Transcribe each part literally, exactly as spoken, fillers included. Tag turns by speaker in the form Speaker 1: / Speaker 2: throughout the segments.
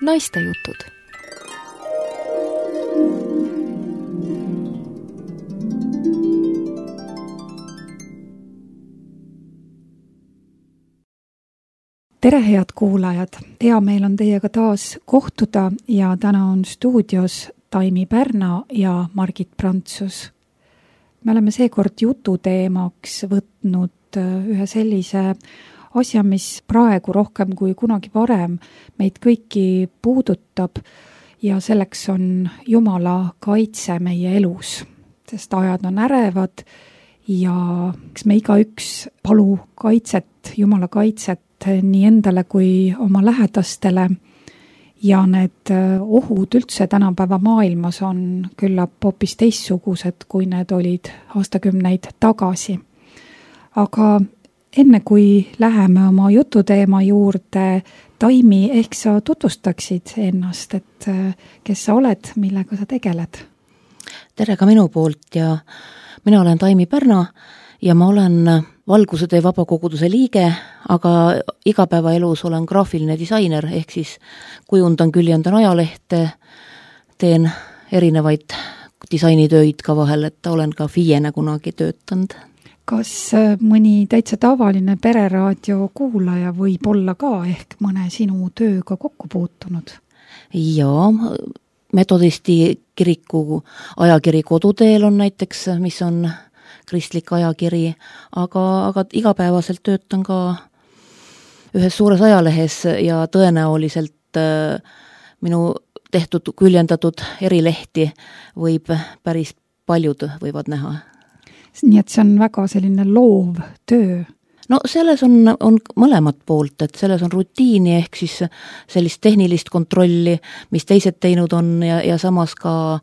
Speaker 1: Naistejutud.
Speaker 2: Tere, head kuulajad! Hea meel on teiega taas kohtuda ja täna on stuudios Taimi Pärna ja Margit Prantsus. Me oleme seekord jututeemaks võtnud ühe sellise asja, mis praegu rohkem kui kunagi varem meid kõiki puudutab ja selleks on Jumala kaitse meie elus, sest ajad on ärevad ja eks me igaüks palu kaitset, Jumala kaitset nii endale kui oma lähedastele ja need ohud üldse tänapäeva maailmas on küllap hoopis teistsugused, kui need olid aastakümneid tagasi. Aga enne kui läheme oma jututeema juurde, Taimi, ehk sa tutvustaksid ennast, et kes sa oled, millega sa tegeled?
Speaker 3: Tere ka minu poolt ja mina olen Taimi Pärna ja ma olen Valguse tee vabakoguduse liige, aga igapäevaelus olen graafiline disainer, ehk siis kujundan, küljendan ajalehte, teen erinevaid disainitöid ka vahel, et olen ka FIE-na kunagi töötanud.
Speaker 2: Kas mõni täitsa tavaline pereraadio kuulaja võib olla ka ehk mõne sinu tööga kokku puutunud?
Speaker 3: Jaa, Metodisti kiriku ajakiri Koduteel on näiteks, mis on kristlik ajakiri, aga, aga igapäevaselt töötan ka ühes suures ajalehes ja tõenäoliselt äh, minu tehtud, küljendatud erilehti võib päris paljud võivad näha.
Speaker 2: Nii et see on väga selline loov töö.
Speaker 3: No selles on, on mõlemat poolt, et selles on rutiini ehk siis sellist tehnilist kontrolli, mis teised teinud on ja, ja samas ka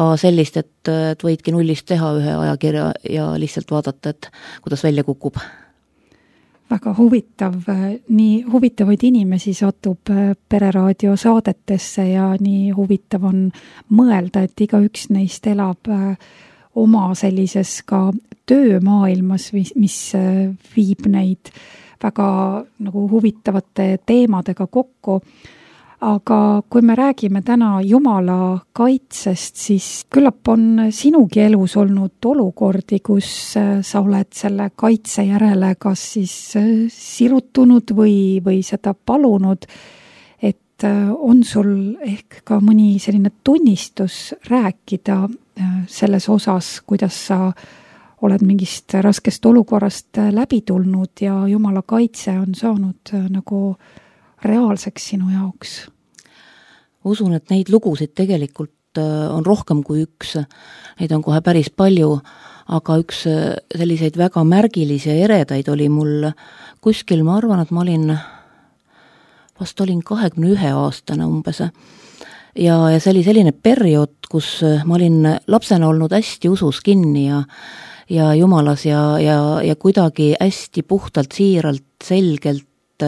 Speaker 3: ka sellist, et, et võidki nullist teha ühe ajakirja ja lihtsalt vaadata, et kuidas välja kukub.
Speaker 2: Väga huvitav, nii huvitavaid inimesi satub pereraadio saadetesse ja nii huvitav on mõelda, et igaüks neist elab oma sellises ka töömaailmas, mis viib neid väga nagu huvitavate teemadega kokku. Aga kui me räägime täna Jumala kaitsest, siis küllap on sinugi elus olnud olukordi, kus sa oled selle kaitse järele kas siis sirutunud või, või seda palunud, et on sul ehk ka mõni selline tunnistus rääkida selles osas, kuidas sa oled mingist raskest olukorrast läbi tulnud ja Jumala kaitse on saanud nagu reaalseks sinu jaoks?
Speaker 3: Usun, et neid lugusid tegelikult on rohkem kui üks. Neid on kohe päris palju, aga üks selliseid väga märgilisi ja eredaid oli mul kuskil, ma arvan, et ma olin, vast olin kahekümne ühe aastane umbes. Ja, ja see oli selline periood, kus ma olin lapsena olnud hästi usus kinni ja, ja Jumalas ja, ja, ja kuidagi hästi puhtalt, siiralt, selgelt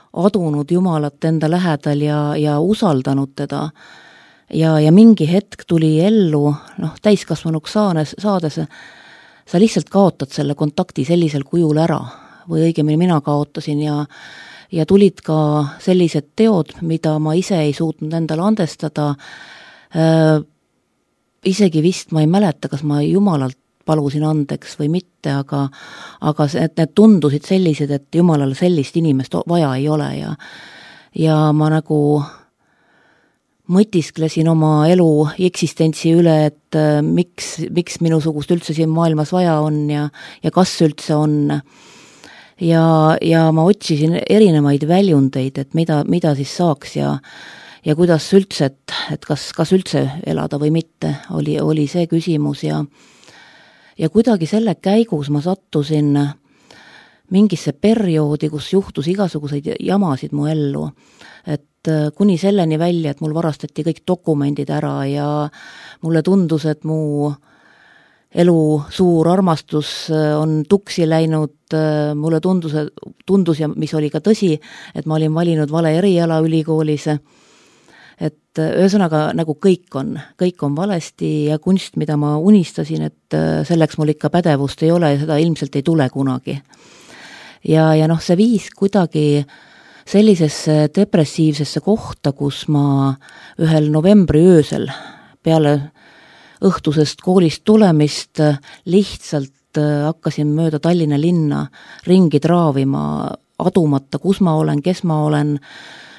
Speaker 3: adunud Jumalat enda lähedal ja, ja usaldanud teda. Ja, ja mingi hetk tuli ellu, noh, täiskasvanuks saades, saades, sa lihtsalt kaotad selle kontakti sellisel kujul ära, või õigemini mina kaotasin ja, ja tulid ka sellised teod, mida ma ise ei suutnud endale andestada. Äh, isegi vist ma ei mäleta, kas ma Jumalalt palusin andeks või mitte, aga, aga need tundusid sellised, et Jumalale sellist inimest vaja ei ole ja, ja ma nagu mõtisklesin oma elu eksistentsi üle, et miks, miks minusugust üldse siin maailmas vaja on ja, ja kas üldse on. Ja, ja ma otsisin erinevaid väljundeid, et mida, mida siis saaks ja, ja kuidas üldse, et, et kas, kas üldse elada või mitte, oli, oli see küsimus ja Ja kuidagi selle käigus ma sattusin mingisse perioodi, kus juhtus igasuguseid jamasid mu ellu. Et kuni selleni välja, et mul varastati kõik dokumendid ära ja mulle tundus, et mu elu suur armastus on tuksi läinud. Mulle tundus, tundus ja mis oli ka tõsi, et ma olin valinud vale eriala ülikoolis. Et ühesõnaga nagu kõik on, kõik on valesti ja kunst, mida ma unistasin, et selleks mul ikka pädevust ei ole ja seda ilmselt ei tule kunagi. Ja, ja noh, see viis kuidagi sellisesse depressiivsesse kohta, kus ma ühel novembri öösel peale õhtusest koolist tulemist lihtsalt hakkasin mööda Tallinna linna ringi traavima, adumata, kus ma olen, kes ma olen,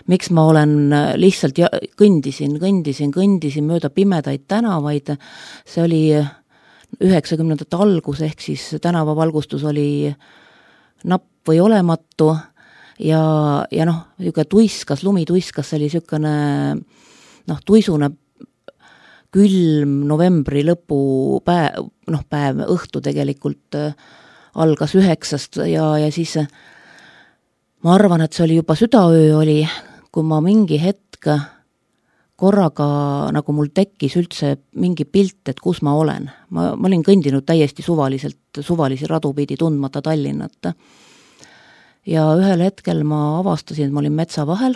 Speaker 3: miks ma olen, lihtsalt ja, kõndisin, kõndisin, kõndisin mööda pimedaid tänavaid. See oli üheksakümnendate algus, ehk siis tänavavalgustus oli napp või olematu ja, ja noh, niisugune tuiskas, lumi tuiskas, see oli niisugune noh, tuisune külm novembri lõpu päev, noh, päev, õhtu tegelikult algas üheksast ja, ja siis ma arvan, et see oli juba südaöö oli, kui ma mingi hetk korraga nagu mul tekkis üldse mingi pilt, et kus ma olen. Ma, ma olin kõndinud täiesti suvaliselt, suvalisi radu pidi tundmata Tallinnat. Ja ühel hetkel ma avastasin, et ma olin metsa vahel.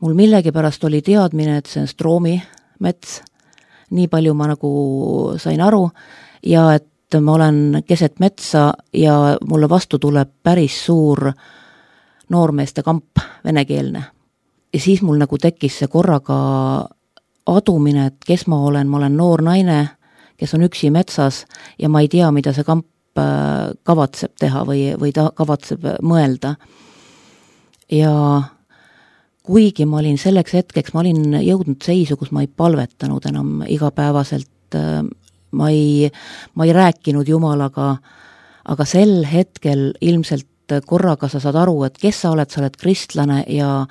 Speaker 3: Mul millegipärast oli teadmine, et see on Stroomi mets. Nii palju ma nagu sain aru ja et ma olen keset metsa ja mulle vastu tuleb päris suur noormeeste kamp, venekeelne. Ja siis mul nagu tekkis see korraga adumine, et kes ma olen, ma olen noor naine, kes on üksi metsas ja ma ei tea, mida see kamp kavatseb teha või, või ta kavatseb mõelda. Ja kuigi ma olin selleks hetkeks, ma olin jõudnud seisu, kus ma ei palvetanud enam igapäevaselt, ma ei, ma ei rääkinud Jumalaga, aga sel hetkel ilmselt korraga sa saad aru, et kes sa oled, sa oled kristlane ja,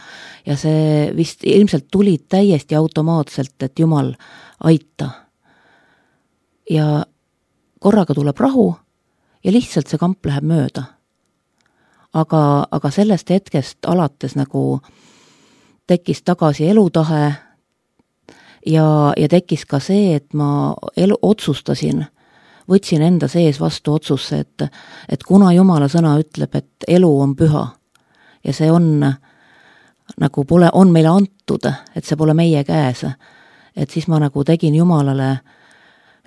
Speaker 3: ja see vist ilmselt tuli täiesti automaatselt, et Jumal aita. Ja korraga tuleb rahu ja lihtsalt see kamp läheb mööda. Aga, aga sellest hetkest alates nagu tekkis tagasi elutahe ja, ja tekkis ka see, et ma elu, otsustasin, võtsin enda sees vastu otsusse, et, et kuna Jumala sõna ütleb, et elu on püha ja see on nagu pole, on meile antud, et see pole meie käes, et siis ma nagu tegin Jumalale,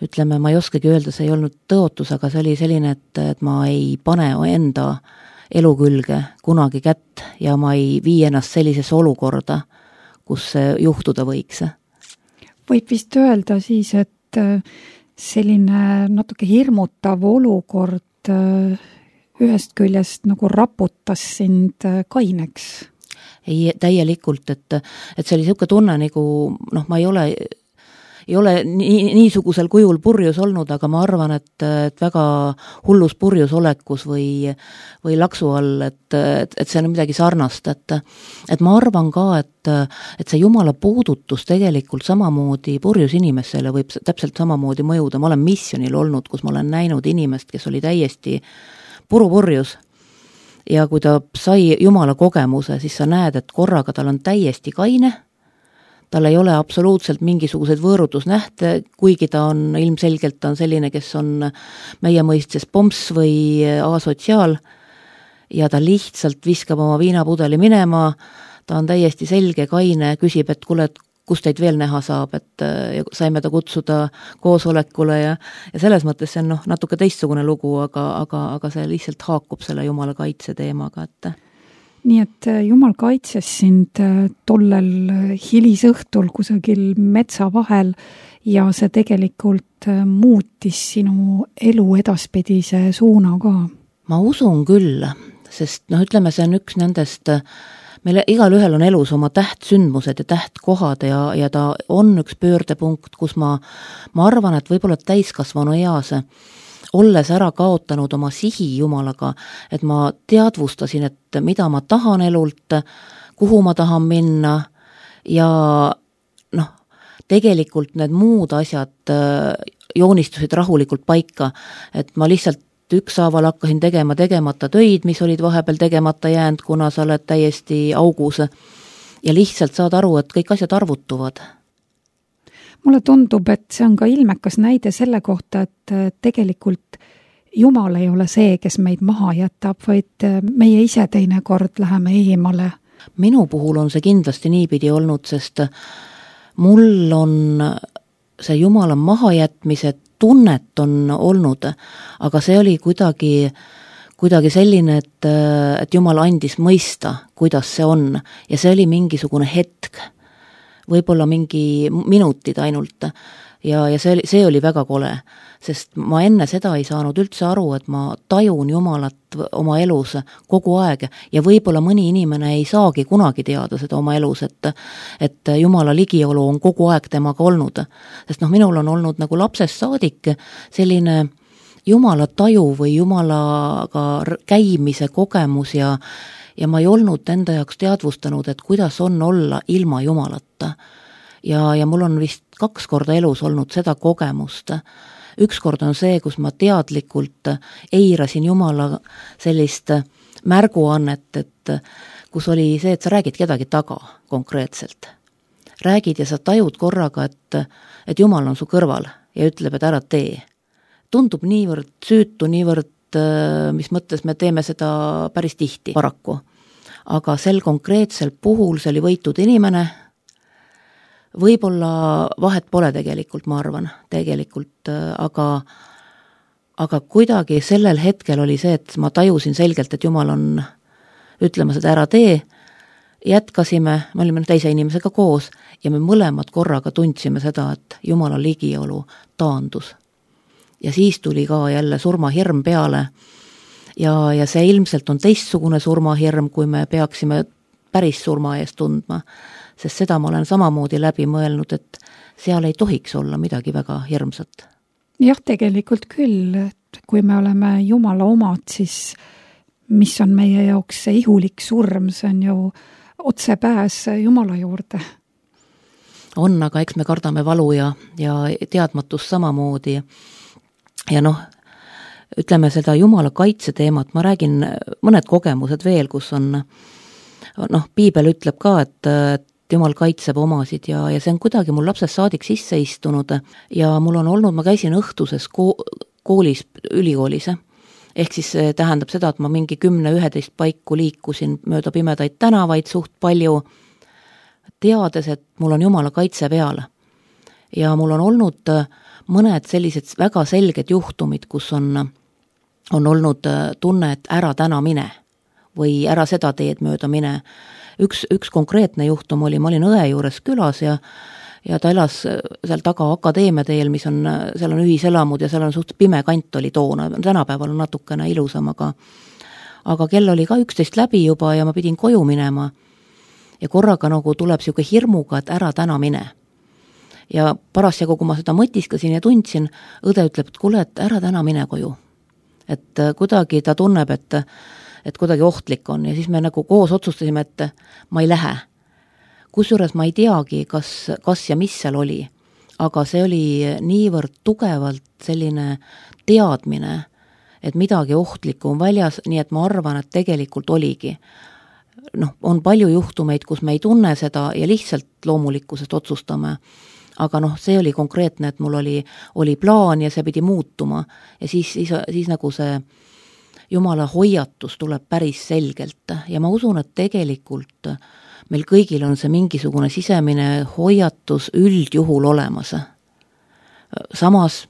Speaker 3: ütleme, ma ei oskagi öelda, see ei olnud tõotus, aga see oli selline, et, et ma ei pane enda elu külge kunagi kätt ja ma ei vii ennast sellisesse olukorda, kus see juhtuda võiks.
Speaker 2: Võib vist öelda siis, et selline natuke hirmutav olukord ühest küljest nagu raputas sind kaineks?
Speaker 3: Ei, täielikult, et, et see oli niisugune tunne nagu, noh, ma ei ole, ei ole nii, niisugusel kujul purjus olnud, aga ma arvan, et, et väga hullus purjus olekus või, või laksu all, et, et, et see on midagi sarnast, et, et ma arvan ka, et, et see Jumala puudutus tegelikult samamoodi purjus inimesele võib täpselt samamoodi mõjuda. Ma olen missionil olnud, kus ma olen näinud inimest, kes oli täiesti purupurjus ja kui ta sai Jumala kogemuse, siis sa näed, et korraga tal on täiesti kaine, tal ei ole absoluutselt mingisuguseid võõrutusnähte, kuigi ta on ilmselgelt ta on selline, kes on meie mõistes pomps või asotsiaal ja ta lihtsalt viskab oma viinapudeli minema, ta on täiesti selge, kaine, küsib, et kuule, kus teid veel näha saab, et saime ta kutsuda koosolekule ja, ja selles mõttes see on noh, natuke teistsugune lugu, aga, aga, aga see lihtsalt haakub selle Jumala kaitse teemaga, et
Speaker 2: nii et Jumal kaitses sind tollel hilisõhtul kusagil metsa vahel ja see tegelikult muutis sinu elu edaspidise suuna ka.
Speaker 3: Ma usun küll, sest noh, ütleme, see on üks nendest, meil igal ühel on elus oma tähtsündmused ja tähtkohad ja, ja ta on üks pöördepunkt, kus ma, ma arvan, et võib-olla täiskasvanu eas olles ära kaotanud oma sihi Jumalaga, et ma teadvustasin, et mida ma tahan elult, kuhu ma tahan minna ja noh, tegelikult need muud asjad joonistusid rahulikult paika, et ma lihtsalt ükshaaval hakkasin tegema tegemata töid, mis olid vahepeal tegemata jäänud, kuna sa oled täiesti augus ja lihtsalt saad aru, et kõik asjad arvutuvad.
Speaker 2: Mulle tundub, et see on ka ilmekas näide selle kohta, et tegelikult Jumal ei ole see, kes meid maha jätab, vaid meie ise teinekord läheme eemale.
Speaker 3: Minu puhul on see kindlasti niipidi olnud, sest mul on see Jumala mahajätmise tunnet on olnud, aga see oli kuidagi, kuidagi selline, et, et Jumal andis mõista, kuidas see on ja see oli mingisugune hetk, võib-olla mingi minutid ainult ja, ja see oli, see oli väga kole, sest ma enne seda ei saanud üldse aru, et ma tajun Jumalat oma elus kogu aeg ja võib-olla mõni inimene ei saagi kunagi teada seda oma elus, et, et Jumala ligiolu on kogu aeg temaga olnud. Sest noh, minul on olnud nagu lapsest saadik selline Jumala taju või Jumalaga käimise kogemus ja, ja ma ei olnud enda jaoks teadvustanud, et kuidas on olla ilma Jumalata. Ja, ja mul on vist kaks korda elus olnud seda kogemust. Üks kord on see, kus ma teadlikult eirasin Jumala sellist märguannet, et kus oli see, et sa räägid kedagi taga konkreetselt. Räägid ja sa tajud korraga, et, et Jumal on su kõrval ja ütleb, et ära tee. Tundub niivõrd süütu, niivõrd, mis mõttes me teeme seda päris tihti paraku. Aga sel konkreetsel puhul see oli võitud inimene, võib-olla vahet pole tegelikult, ma arvan, tegelikult, aga, aga kuidagi sellel hetkel oli see, et ma tajusin selgelt, et Jumal on ütlema seda ära tee, jätkasime, me olime teise inimesega koos ja me mõlemad korraga tundsime seda, et Jumala ligiolu taandus. Ja siis tuli ka jälle surmahirm peale ja, ja see ilmselt on teistsugune surmahirm, kui me peaksime päris surma eest tundma, sest seda ma olen samamoodi läbi mõelnud, et seal ei tohiks olla midagi väga hirmsat.
Speaker 2: Jah, tegelikult küll, et kui me oleme Jumala omad, siis mis on meie jaoks see ihulik surm, see on ju otsepääs Jumala juurde.
Speaker 3: On, aga eks me kardame valu ja, ja teadmatust samamoodi. Ja noh, ütleme seda Jumala kaitse teemat, ma räägin mõned kogemused veel, kus on, noh, Piibel ütleb ka, et, et Jumal kaitseb omasid ja, ja see on kuidagi mul lapsest saadik sisse istunud ja mul on olnud, ma käisin õhtuses koolis, ülikoolis, ehk siis see tähendab seda, et ma mingi kümne üheteist paiku liikusin mööda pimedaid tänavaid suht palju, teades, et mul on Jumala kaitse peal. Ja mul on olnud mõned sellised väga selged juhtumid, kus on, on olnud tunne, et ära täna mine või ära seda teed mööda mine. Üks, üks konkreetne juhtum oli, ma olin õe juures külas ja, ja ta elas seal taga akadeemia teel, mis on, seal on ühiselamud ja seal on suht pime kant oli toona, tänapäeval on natukene ilusam, aga, aga kell oli ka üksteist läbi juba ja ma pidin koju minema ja korraga nagu tuleb siuke hirmuga, et ära täna mine. Ja parasjagu, kui ma seda mõtiskasin ja tundsin, õde ütleb, et kuule, et ära täna mine koju. Et kuidagi ta tunneb, et, et kuidagi ohtlik on ja siis me nagu koos otsustasime, et ma ei lähe. Kusjuures ma ei teagi, kas, kas ja mis seal oli, aga see oli niivõrd tugevalt selline teadmine, et midagi ohtlikku on väljas, nii et ma arvan, et tegelikult oligi. Noh, on palju juhtumeid, kus me ei tunne seda ja lihtsalt loomulikkusest otsustame. Aga noh, see oli konkreetne, et mul oli, oli plaan ja see pidi muutuma ja siis, siis, siis nagu see Jumala hoiatus tuleb päris selgelt ja ma usun, et tegelikult meil kõigil on see mingisugune sisemine hoiatus üldjuhul olemas. Samas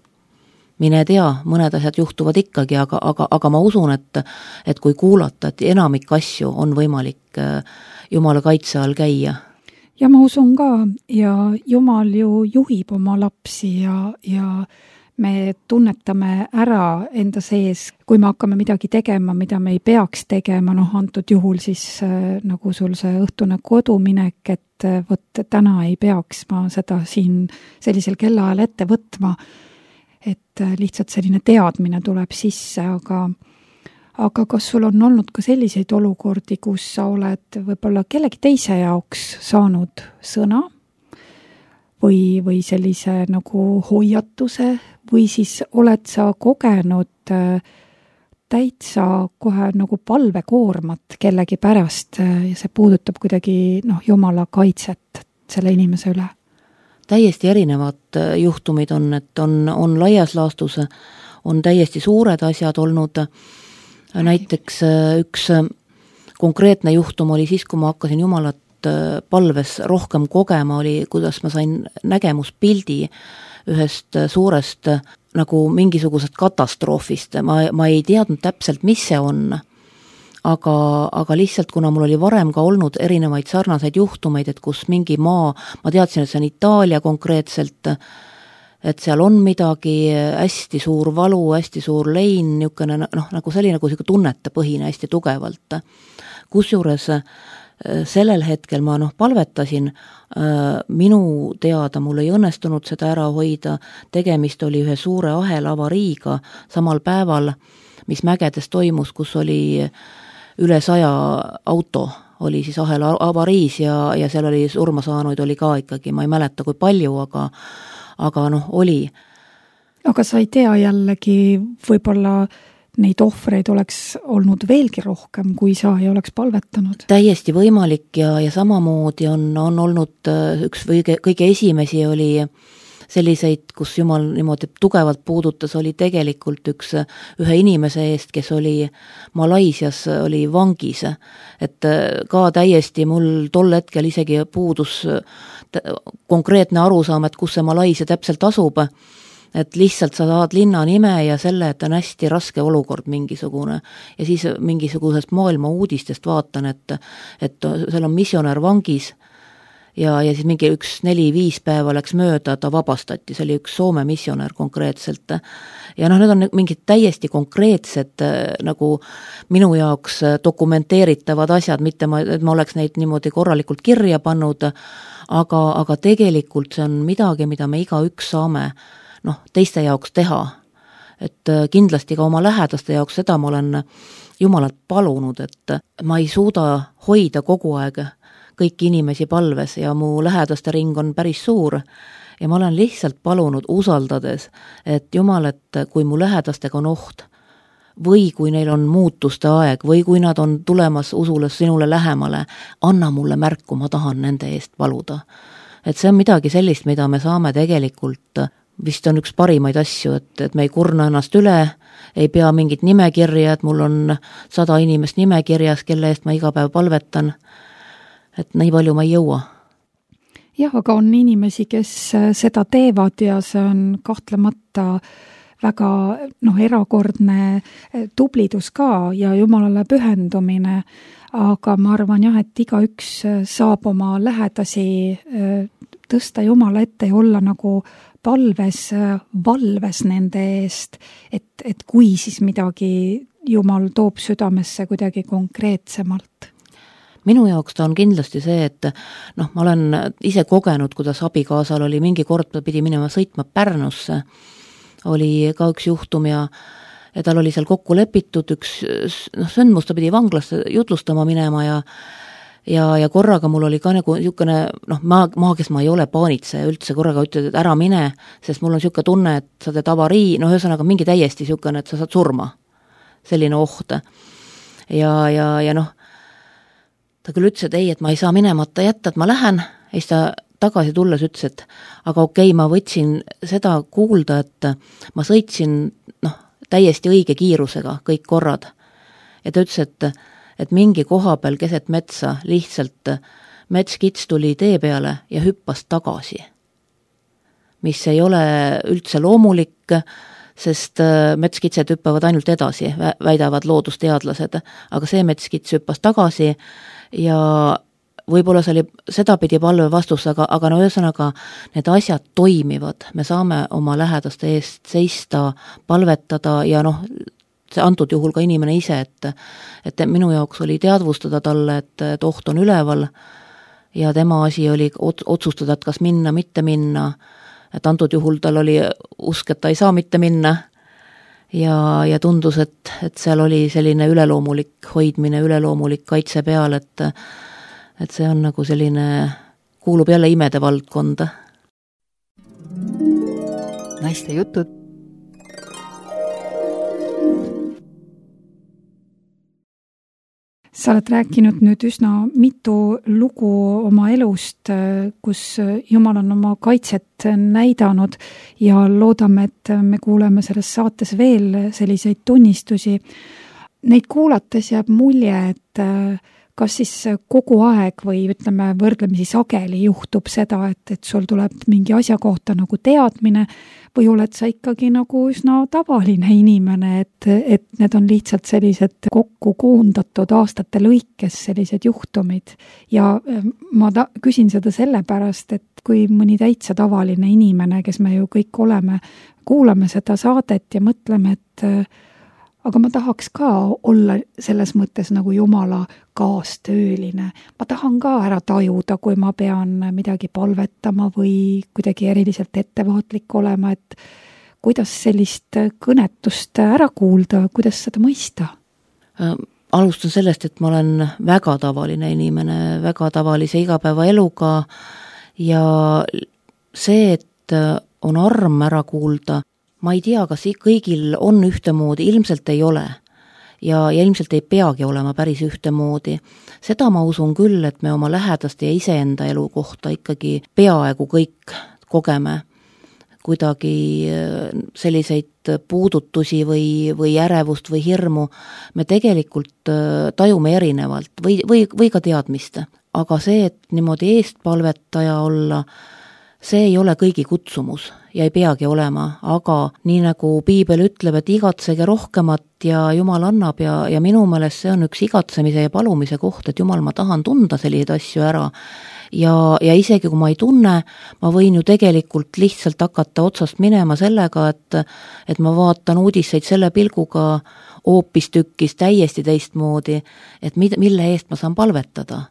Speaker 3: mine tea, mõned asjad juhtuvad ikkagi, aga, aga, aga ma usun, et, et kui kuulata, et enamik asju on võimalik Jumala kaitse all käia.
Speaker 2: Ja ma usun ka ja Jumal ju juhib oma lapsi ja, ja me tunnetame ära enda sees, kui me hakkame midagi tegema, mida me ei peaks tegema, noh antud juhul siis äh, nagu sul see õhtune koduminek, et äh, võt, täna ei peaks ma seda siin sellisel kellaajal ette võtma, et äh, lihtsalt selline teadmine tuleb sisse, aga aga kas sul on olnud ka selliseid olukordi, kus sa oled võib-olla kellegi teise jaoks saanud sõna või, või sellise nagu hoiatuse või siis oled sa kogenud täitsa kohe nagu palvekoormat kellegi pärast ja see puudutab kuidagi noh, Jumala kaitset selle inimese üle?
Speaker 3: Täiesti erinevad juhtumid on, et on, on laias laastus, on täiesti suured asjad olnud. Näiteks üks konkreetne juhtum oli siis, kui ma hakkasin Jumalat palves rohkem kogema, oli, kuidas ma sain nägemuspildi ühest suurest nagu mingisugusest katastroofist, ma, ma ei teadnud täpselt, mis see on, aga, aga lihtsalt, kuna mul oli varem ka olnud erinevaid sarnaseid juhtumeid, et kus mingi maa, ma teadsin, et see on Itaalia konkreetselt, et seal on midagi, hästi suur valu, hästi suur lein, niisugune, noh, nagu selline, nagu selline tunnetepõhine hästi tugevalt. Kusjuures sellel hetkel ma noh, palvetasin, minu teada mul ei õnnestunud seda ära hoida, tegemist oli ühe suure ahela avariiga samal päeval, mis mägedes toimus, kus oli üle saja auto, oli siis ahela avariis ja, ja seal oli surma saanuid oli ka ikkagi, ma ei mäleta kui palju, aga, aga noh, oli.
Speaker 2: Aga sa ei tea jällegi võib-olla neid ohvreid oleks olnud veelgi rohkem, kui sa ei oleks palvetanud?
Speaker 3: Täiesti võimalik ja, ja samamoodi on, on olnud üks või kõige esimesi oli selliseid, kus Jumal niimoodi tugevalt puudutas, oli tegelikult üks ühe inimese eest, kes oli Malaisias, oli vangis. Et ka täiesti mul tol hetkel isegi puudus konkreetne arusaam, et kus see Malaisia täpselt asub, et lihtsalt sa saad linna nime ja selle, et on hästi raske olukord mingisugune. Ja siis mingisugusest maailma uudistest vaatan, et, et seal on missionär vangis ja, ja siis mingi üks neli-viis päeva läks mööda, ta vabastati, see oli üks Soome missionär konkreetselt. Ja noh, need on mingid täiesti konkreetsed nagu minu jaoks dokumenteeritavad asjad, mitte ma, et ma oleks neid niimoodi korralikult kirja pannud, aga, aga tegelikult see on midagi, mida me igaüks saame noh, teiste jaoks teha. Et kindlasti ka oma lähedaste jaoks seda ma olen Jumalalt palunud, et ma ei suuda hoida kogu aeg kõiki inimesi palves ja mu lähedaste ring on päris suur ja ma olen lihtsalt palunud usaldades, et Jumal, et kui mu lähedastega on oht või kui neil on muutuste aeg või kui nad on tulemas usule sinule lähemale, anna mulle märku, ma tahan nende eest paluda. Et see on midagi sellist, mida me saame tegelikult vist on üks parimaid asju, et, et me ei kurna ennast üle, ei pea mingit nimekirja, et mul on sada inimest nimekirjas, kelle eest ma iga päev palvetan, et nii palju ma ei jõua.
Speaker 2: Jah, aga on inimesi, kes seda teevad ja see on kahtlemata väga noh, erakordne tublidus ka ja Jumalale pühendumine, aga ma arvan jah, et igaüks saab oma lähedasi tõsta Jumala ette ja olla nagu palves, valves nende eest, et, et kui siis midagi Jumal toob südamesse kuidagi konkreetsemalt.
Speaker 3: Minu jaoks ta on kindlasti see, et noh, ma olen ise kogenud, kuidas abikaasal oli mingi kord, ta pidi minema sõitma Pärnusse, oli ka üks juhtum ja, ja tal oli seal kokku lepitud üks noh, sündmus, ta pidi vanglasse jutlustama minema ja Ja, ja korraga mul oli ka nagu niisugune, noh, ma, ma, kes ma ei ole paanitseja üldse, korraga ütled, et ära mine, sest mul on niisugune tunne, et sa teed avarii, noh, ühesõnaga mingi täiesti niisugune, et sa saad surma. Selline oht. Ja, ja, ja noh, ta küll ütles, et ei, et ma ei saa minemata jätta, et ma lähen, ja siis ta tagasi tulles ütles, et aga okei, ma võtsin seda kuulda, et ma sõitsin, noh, täiesti õige kiirusega kõik korrad. Ja ta ütles, et et mingi koha peal keset metsa lihtsalt metskits tuli tee peale ja hüppas tagasi. Mis ei ole üldse loomulik, sest metskitsed hüppavad ainult edasi, väidavad loodusteadlased, aga see metskits hüppas tagasi ja võib-olla see oli sedapidi palve vastus, aga, aga no ühesõnaga need asjad toimivad, me saame oma lähedaste eest seista, palvetada ja noh, see antud juhul ka inimene ise, et, et minu jaoks oli teadvustada talle, et, et oht on üleval ja tema asi oli otsustada, et kas minna, mitte minna, et antud juhul tal oli usk, et ta ei saa mitte minna ja, ja tundus, et, et seal oli selline üleloomulik hoidmine, üleloomulik kaitse peal, et, et see on nagu selline, kuulub jälle imede valdkonda.
Speaker 1: Naiste jutud.
Speaker 2: Sa oled rääkinud nüüd üsna mitu lugu oma elust, kus Jumal on oma kaitset näidanud ja loodame, et me kuuleme selles saates veel selliseid tunnistusi. Neid kuulates jääb mulje, et kas siis kogu aeg või ütleme võrdlemisi sageli juhtub seda, et, et sul tuleb mingi asja kohta nagu teadmine või oled sa ikkagi nagu üsna tavaline inimene, et, et need on lihtsalt sellised kokku koondatud aastate lõikes sellised juhtumid. Ja ma ta, küsin seda sellepärast, et kui mõni täitsa tavaline inimene, kes me ju kõik oleme, kuulame seda saadet ja mõtleme, et aga ma tahaks ka olla selles mõttes nagu Jumala kaastööline. Ma tahan ka ära tajuda, kui ma pean midagi palvetama või kuidagi eriliselt ettevaatlik olema, et kuidas sellist kõnetust ära kuulda, kuidas seda mõista?
Speaker 3: Alustan sellest, et ma olen väga tavaline inimene, väga tavalise igapäevaeluga ja see, et on arm ära kuulda, ma ei tea, kas kõigil on ühtemoodi, ilmselt ei ole ja, ja ilmselt ei peagi olema päris ühtemoodi. Seda ma usun küll, et me oma lähedaste ja iseenda elu kohta ikkagi peaaegu kõik kogeme kuidagi selliseid puudutusi või, või ärevust või hirmu. Me tegelikult tajume erinevalt või, või, või ka teadmist. Aga see, et niimoodi eestpalvetaja olla, see ei ole kõigi kutsumus ja ei peagi olema, aga nii nagu Piibel ütleb, et igatsege rohkemat ja Jumal annab ja, ja minu meelest see on üks igatsemise ja palumise koht, et Jumal, ma tahan tunda selliseid asju ära ja, ja isegi kui ma ei tunne, ma võin ju tegelikult lihtsalt hakata otsast minema sellega, et, et ma vaatan uudiseid selle pilguga hoopistükkis täiesti teistmoodi, et mid, mille eest ma saan palvetada.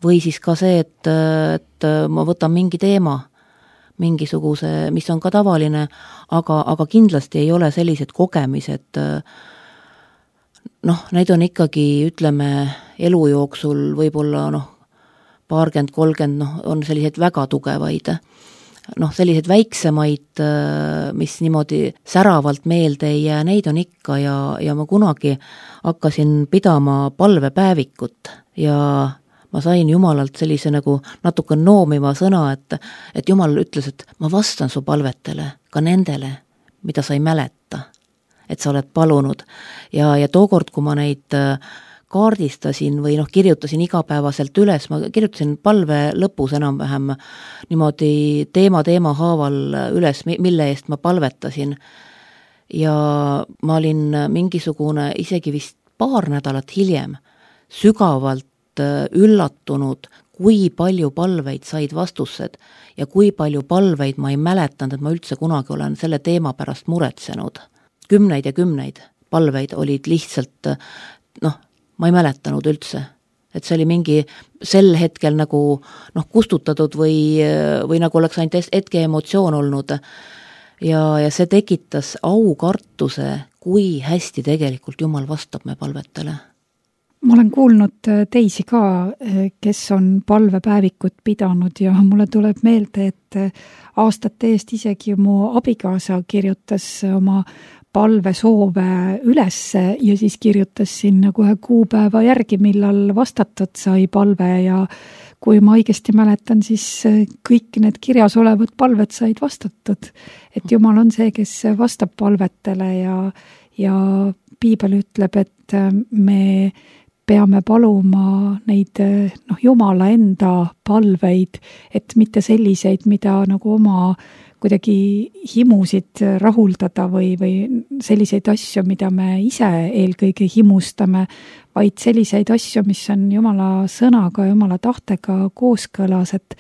Speaker 3: Või siis ka see, et, et ma võtan mingi teema, mingisuguse, mis on ka tavaline, aga, aga kindlasti ei ole sellised kogemised, noh, need on ikkagi, ütleme, elu jooksul võib-olla, noh, paarkümmend, kolmkümmend, noh, on sellised väga tugevaid, noh, sellised väiksemaid, mis niimoodi säravalt meelde ei jää, neid on ikka ja, ja ma kunagi hakkasin pidama palvepäevikut ja ma sain Jumalalt sellise nagu natuke noomiva sõna, et, et Jumal ütles, et ma vastan su palvetele, ka nendele, mida sa ei mäleta, et sa oled palunud. Ja, ja tookord, kui ma neid kaardistasin või noh, kirjutasin igapäevaselt üles, ma kirjutasin palve lõpus enam-vähem niimoodi teema teema haaval üles, mille eest ma palvetasin. Ja ma olin mingisugune isegi vist paar nädalat hiljem sügavalt üllatunud, kui palju palveid said vastused ja kui palju palveid ma ei mäletanud, et ma üldse kunagi olen selle teema pärast muretsenud. Kümneid ja kümneid palveid olid lihtsalt, noh, ma ei mäletanud üldse. Et see oli mingi sel hetkel nagu noh, kustutatud või, või nagu oleks ainult hetke emotsioon olnud. Ja, ja see tekitas aukartuse, kui hästi tegelikult Jumal vastab me palvetele.
Speaker 2: Ma olen kuulnud teisi ka, kes on palvepäevikut pidanud ja mulle tuleb meelde, et aastate eest isegi mu abikaasa kirjutas oma palvesoove üles ja siis kirjutas sinna kohe kuupäeva järgi, millal vastatud sai palve ja kui ma õigesti mäletan, siis kõik need kirjas olevad palved said vastatud. Et Jumal on see, kes vastab palvetele ja, ja Piibel ütleb, et me peame paluma neid noh, Jumala enda palveid, et mitte selliseid, mida nagu oma kuidagi himusid rahuldada või, või selliseid asju, mida me ise eelkõige himustame, vaid selliseid asju, mis on Jumala sõnaga, Jumala tahtega kooskõlas, et,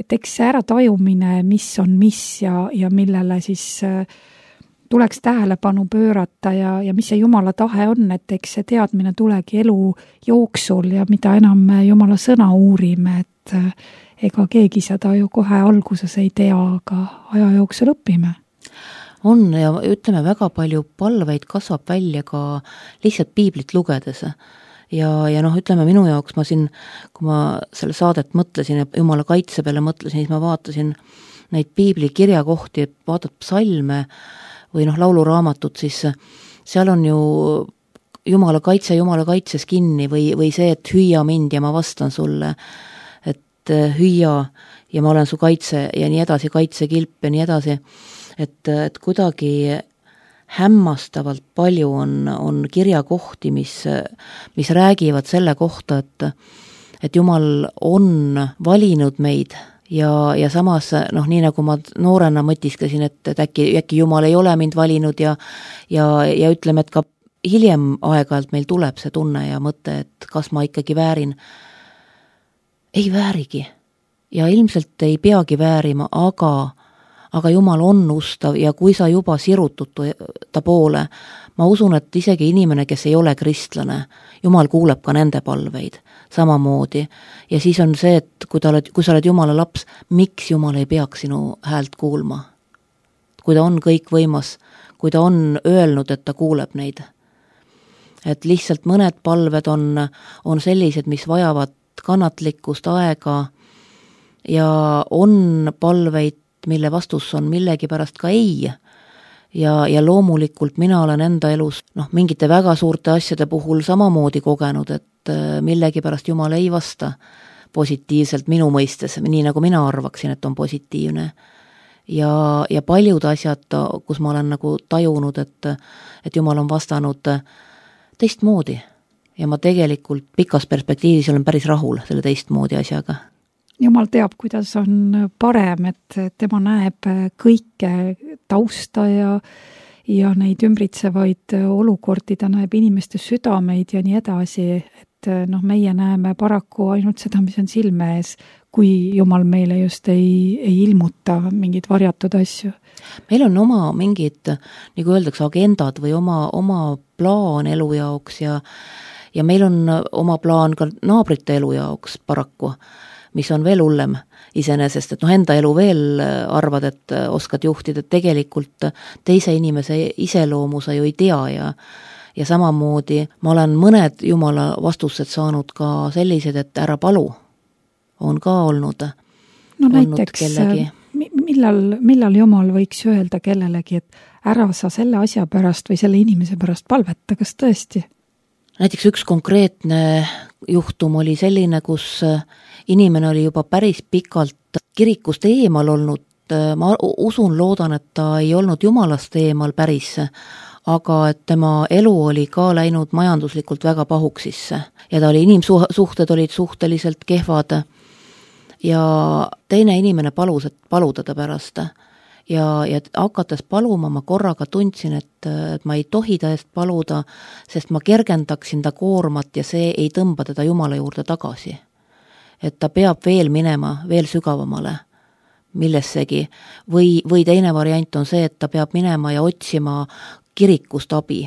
Speaker 2: et eks see äratajumine, mis on mis ja, ja millele siis tuleks tähelepanu pöörata ja, ja mis see Jumala tahe on, et eks see teadmine tulegi elu jooksul ja mida enam me Jumala sõna uurime, et ega keegi seda ju kohe alguses ei tea, aga aja jooksul õpime.
Speaker 3: On ja ütleme, väga palju palveid kasvab välja ka lihtsalt piiblit lugedes. Ja, ja noh, ütleme minu jaoks ma siin, kui ma selle saadet mõtlesin ja Jumala kaitse peale mõtlesin, siis ma vaatasin neid piibli kirjakohti, et vaatad psalme või noh, lauluraamatut, siis seal on ju Jumala kaitse Jumala kaitses kinni või, või see, et hüüa mind ja ma vastan sulle, et hüüa ja ma olen su kaitse ja nii edasi, kaitsekilp ja nii edasi, et, et kuidagi hämmastavalt palju on, on kirjakohti, mis, mis räägivad selle kohta, et, et Jumal on valinud meid ja, ja samas, noh, nii nagu ma noorena mõtisklesin, et, et äkki, äkki Jumal ei ole mind valinud ja, ja, ja ütleme, et ka hiljem aeg-ajalt meil tuleb see tunne ja mõte, et kas ma ikkagi väärin. Ei väärigi ja ilmselt ei peagi väärima, aga, aga Jumal on ustav ja kui sa juba sirutud ta poole, ma usun, et isegi inimene, kes ei ole kristlane, Jumal kuuleb ka nende palveid samamoodi. Ja siis on see, et kui, ta oled, kui sa oled Jumala laps, miks Jumal ei peaks sinu häält kuulma? Kui ta on kõik võimas, kui ta on öelnud, et ta kuuleb neid. Et lihtsalt mõned palved on, on sellised, mis vajavad kannatlikkust aega ja on palveid, mille vastus on millegi pärast ka ei. Ja, ja loomulikult mina olen enda elus noh, mingite väga suurte asjade puhul samamoodi kogenud, et millegi pärast Jumal ei vasta positiivselt minu mõistes, nii nagu mina arvaksin, et on positiivne. Ja, ja paljud asjad, kus ma olen nagu tajunud, et, et Jumal on vastanud teistmoodi ja ma tegelikult pikas perspektiivis olen päris rahul selle teistmoodi asjaga.
Speaker 2: Jumal teab, kuidas on parem, et tema näeb kõike tausta ja, ja neid ümbritsevaid olukordi, ta näeb inimeste südameid ja nii edasi, et noh, meie näeme paraku ainult seda, mis on silme ees, kui Jumal meile just ei, ei ilmuta mingid varjatud asju.
Speaker 3: Meil on oma mingid, nagu öeldakse, agendad või oma, oma plaan elu jaoks ja, ja meil on oma plaan ka naabrite elu jaoks paraku, mis on veel hullem iseenesest, et noh, enda elu veel arvad, et oskad juhtida, et tegelikult teise inimese iseloomu sa ju ei tea ja, ja samamoodi ma olen mõned Jumala vastused saanud ka sellised, et ära palu on ka olnud.
Speaker 2: No näiteks, millal, millal Jumal võiks öelda kellelegi, et ära sa selle asja pärast või selle inimese pärast palveta, kas tõesti?
Speaker 3: Näiteks üks konkreetne juhtum oli selline, kus inimene oli juba päris pikalt kirikust eemal olnud, ma usun, loodan, et ta ei olnud Jumalast eemal päris, aga et tema elu oli ka läinud majanduslikult väga pahuksisse ja ta oli, inimsuhted olid suhteliselt kehvad ja teine inimene palus, et paluda ta pärast ja, ja hakates paluma ma korraga tundsin, et, et ma ei tohi ta eest paluda, sest ma kergendaksin ta koormat ja see ei tõmba teda Jumala juurde tagasi. Et ta peab veel minema, veel sügavamale millessegi või, või teine variant on see, et ta peab minema ja otsima kirikust abi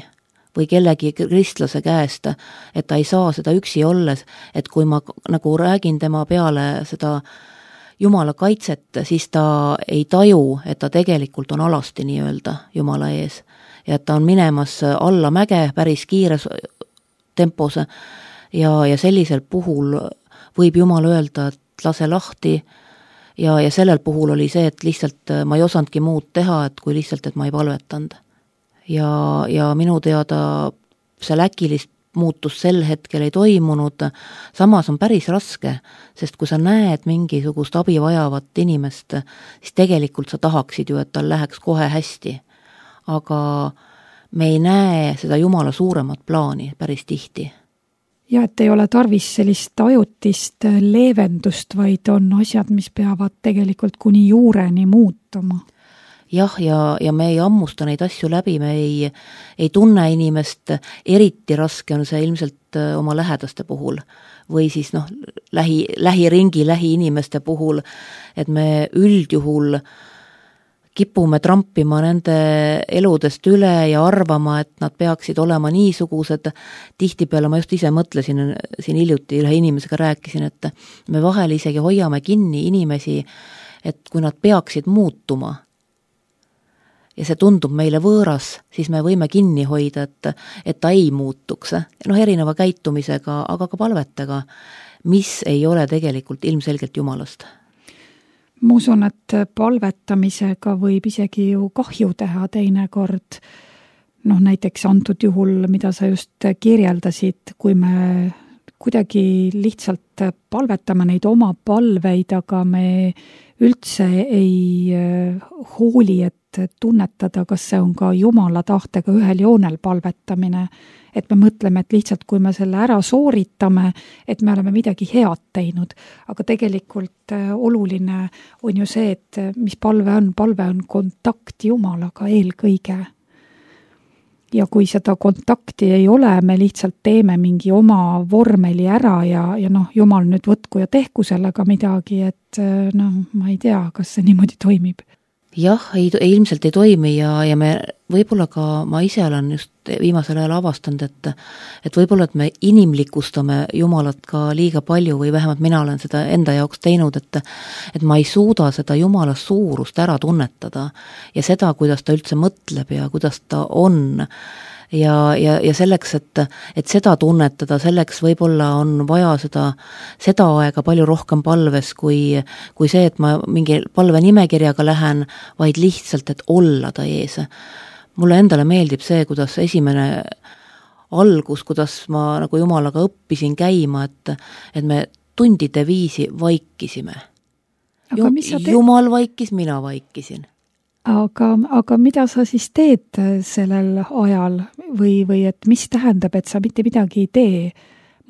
Speaker 3: või kellegi kristlase käest, et ta ei saa seda üksi olles, et kui ma nagu räägin tema peale seda Jumala kaitset, siis ta ei taju, et ta tegelikult on alasti nii-öelda Jumala ees ja et ta on minemas alla mäge päris kiires tempos ja, ja sellisel puhul võib Jumal öelda, et lase lahti ja, ja sellel puhul oli see, et lihtsalt ma ei osandki muud teha, et kui lihtsalt, et ma ei palvetanud. Ja, ja minu teada see äkilist muutus sel hetkel ei toimunud, samas on päris raske, sest kui sa näed mingisugust abi vajavat inimest, siis tegelikult sa tahaksid ju, et tal läheks kohe hästi. Aga me ei näe seda Jumala suuremat plaani päris tihti.
Speaker 2: Ja et ei ole tarvis sellist ajutist leevendust, vaid on asjad, mis peavad tegelikult kuni juureni muutuma.
Speaker 3: Jah, ja, ja me ei ammusta neid asju läbi, me ei, ei tunne inimest, eriti raske on see ilmselt oma lähedaste puhul või siis noh, lähi, lähiringi, lähiinimeste puhul, et me üldjuhul kipume trampima nende eludest üle ja arvama, et nad peaksid olema niisugused. Tihtipeale ma just ise mõtlesin, siin hiljuti ühe inimesega rääkisin, et me vahel isegi hoiame kinni inimesi, et kui nad peaksid muutuma ja see tundub meile võõras, siis me võime kinni hoida, et, et ta ei muutuks. Noh, erineva käitumisega, aga ka palvetega, mis ei ole tegelikult ilmselgelt Jumalast.
Speaker 2: Ma usun, et palvetamisega võib isegi ju kahju teha teinekord. Noh, näiteks antud juhul, mida sa just kirjeldasid, kui me kuidagi lihtsalt palvetame neid oma palveid, aga me üldse ei hooli, et tunnetada, kas see on ka Jumala tahtega ühel joonel palvetamine, et me mõtleme, et lihtsalt kui me selle ära sooritame, et me oleme midagi head teinud, aga tegelikult oluline on ju see, et mis palve on, palve on kontakt Jumalaga eelkõige. Ja kui seda kontakti ei ole, me lihtsalt teeme mingi oma vormeli ära ja, ja noh, Jumal nüüd võtku ja tehku sellega midagi, et noh, ma ei tea, kas see niimoodi toimib.
Speaker 3: Jah, ei, ilmselt ei toimi ja, ja me võib-olla ka, ma ise olen just viimasel ajal avastanud, et, et võib-olla, et me inimlikustame Jumalat ka liiga palju või vähemalt mina olen seda enda jaoks teinud, et, et ma ei suuda seda Jumala suurust ära tunnetada ja seda, kuidas ta üldse mõtleb ja kuidas ta on. Ja, ja, ja selleks, et, et seda tunnetada, selleks võib-olla on vaja seda, seda aega palju rohkem palves, kui, kui see, et ma mingi palve nimekirjaga lähen, vaid lihtsalt, et olla ta ees. Mulle endale meeldib see, kuidas esimene algus, kuidas ma nagu Jumalaga õppisin käima, et, et me tundide viisi vaikisime. Jumal vaikis, mina vaikisin.
Speaker 2: Aga, aga mida sa siis teed sellel ajal või, või et mis tähendab, et sa mitte midagi ei tee?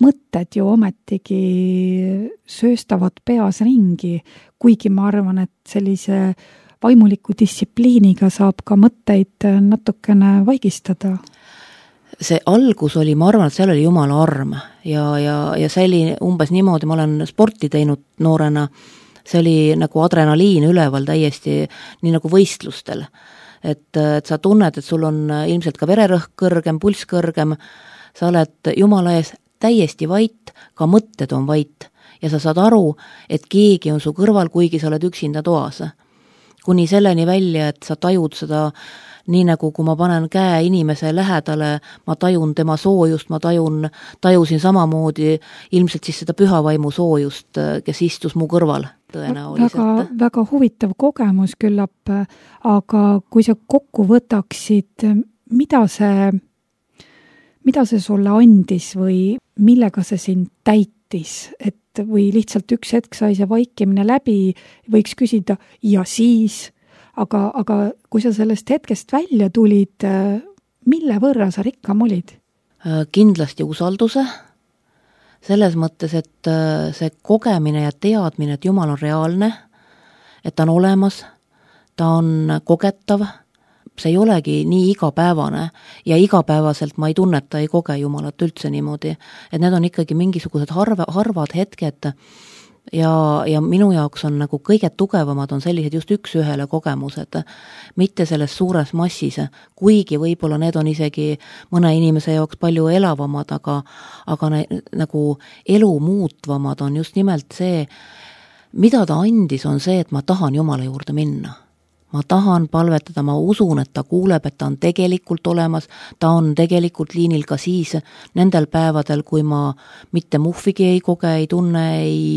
Speaker 2: Mõtted ju ometigi sööstavad peas ringi, kuigi ma arvan, et sellise vaimuliku distsipliiniga saab ka mõtteid natukene vaigistada.
Speaker 3: See algus oli, ma arvan, et seal oli Jumala arm ja, ja, ja see oli umbes niimoodi, ma olen sporti teinud noorena, see oli nagu adrenaliin üleval täiesti, nii nagu võistlustel. Et, et sa tunned, et sul on ilmselt ka vererõhk kõrgem, pulss kõrgem, sa oled Jumala ees täiesti vait, ka mõtted on vait ja sa saad aru, et keegi on su kõrval, kuigi sa oled üksinda toas. Kuni selleni välja, et sa tajud seda nii nagu kui ma panen käe inimese lähedale, ma tajun tema soojust, ma tajun, tajusin samamoodi ilmselt siis seda pühavaimu soojust, kes istus mu kõrval tõenäoliselt.
Speaker 2: Väga, väga huvitav kogemus küllap, aga kui sa kokku võtaksid, mida see, mida see sulle andis või millega see sind täitis, et või lihtsalt üks hetk sai see vaikimine läbi, võiks küsida ja siis Aga, aga kui sa sellest hetkest välja tulid, mille võrra sa rikkam olid?
Speaker 3: Kindlasti usalduse, selles mõttes, et see kogemine ja teadmine, et Jumal on reaalne, et ta on olemas, ta on kogetav, see ei olegi nii igapäevane ja igapäevaselt ma ei tunneta, ei koge Jumalat üldse niimoodi, et need on ikkagi mingisugused harva, harvad hetked, Ja, ja minu jaoks on nagu kõige tugevamad on sellised just üks ühele kogemused, mitte selles suures massis, kuigi võib-olla need on isegi mõne inimese jaoks palju elavamad, aga, aga ne, nagu elu muutvamad on just nimelt see, mida ta andis, on see, et ma tahan Jumala juurde minna. Ma tahan palvetada, ma usun, et ta kuuleb, et ta on tegelikult olemas, ta on tegelikult liinil ka siis nendel päevadel, kui ma mitte muhvigi ei koge, ei tunne, ei,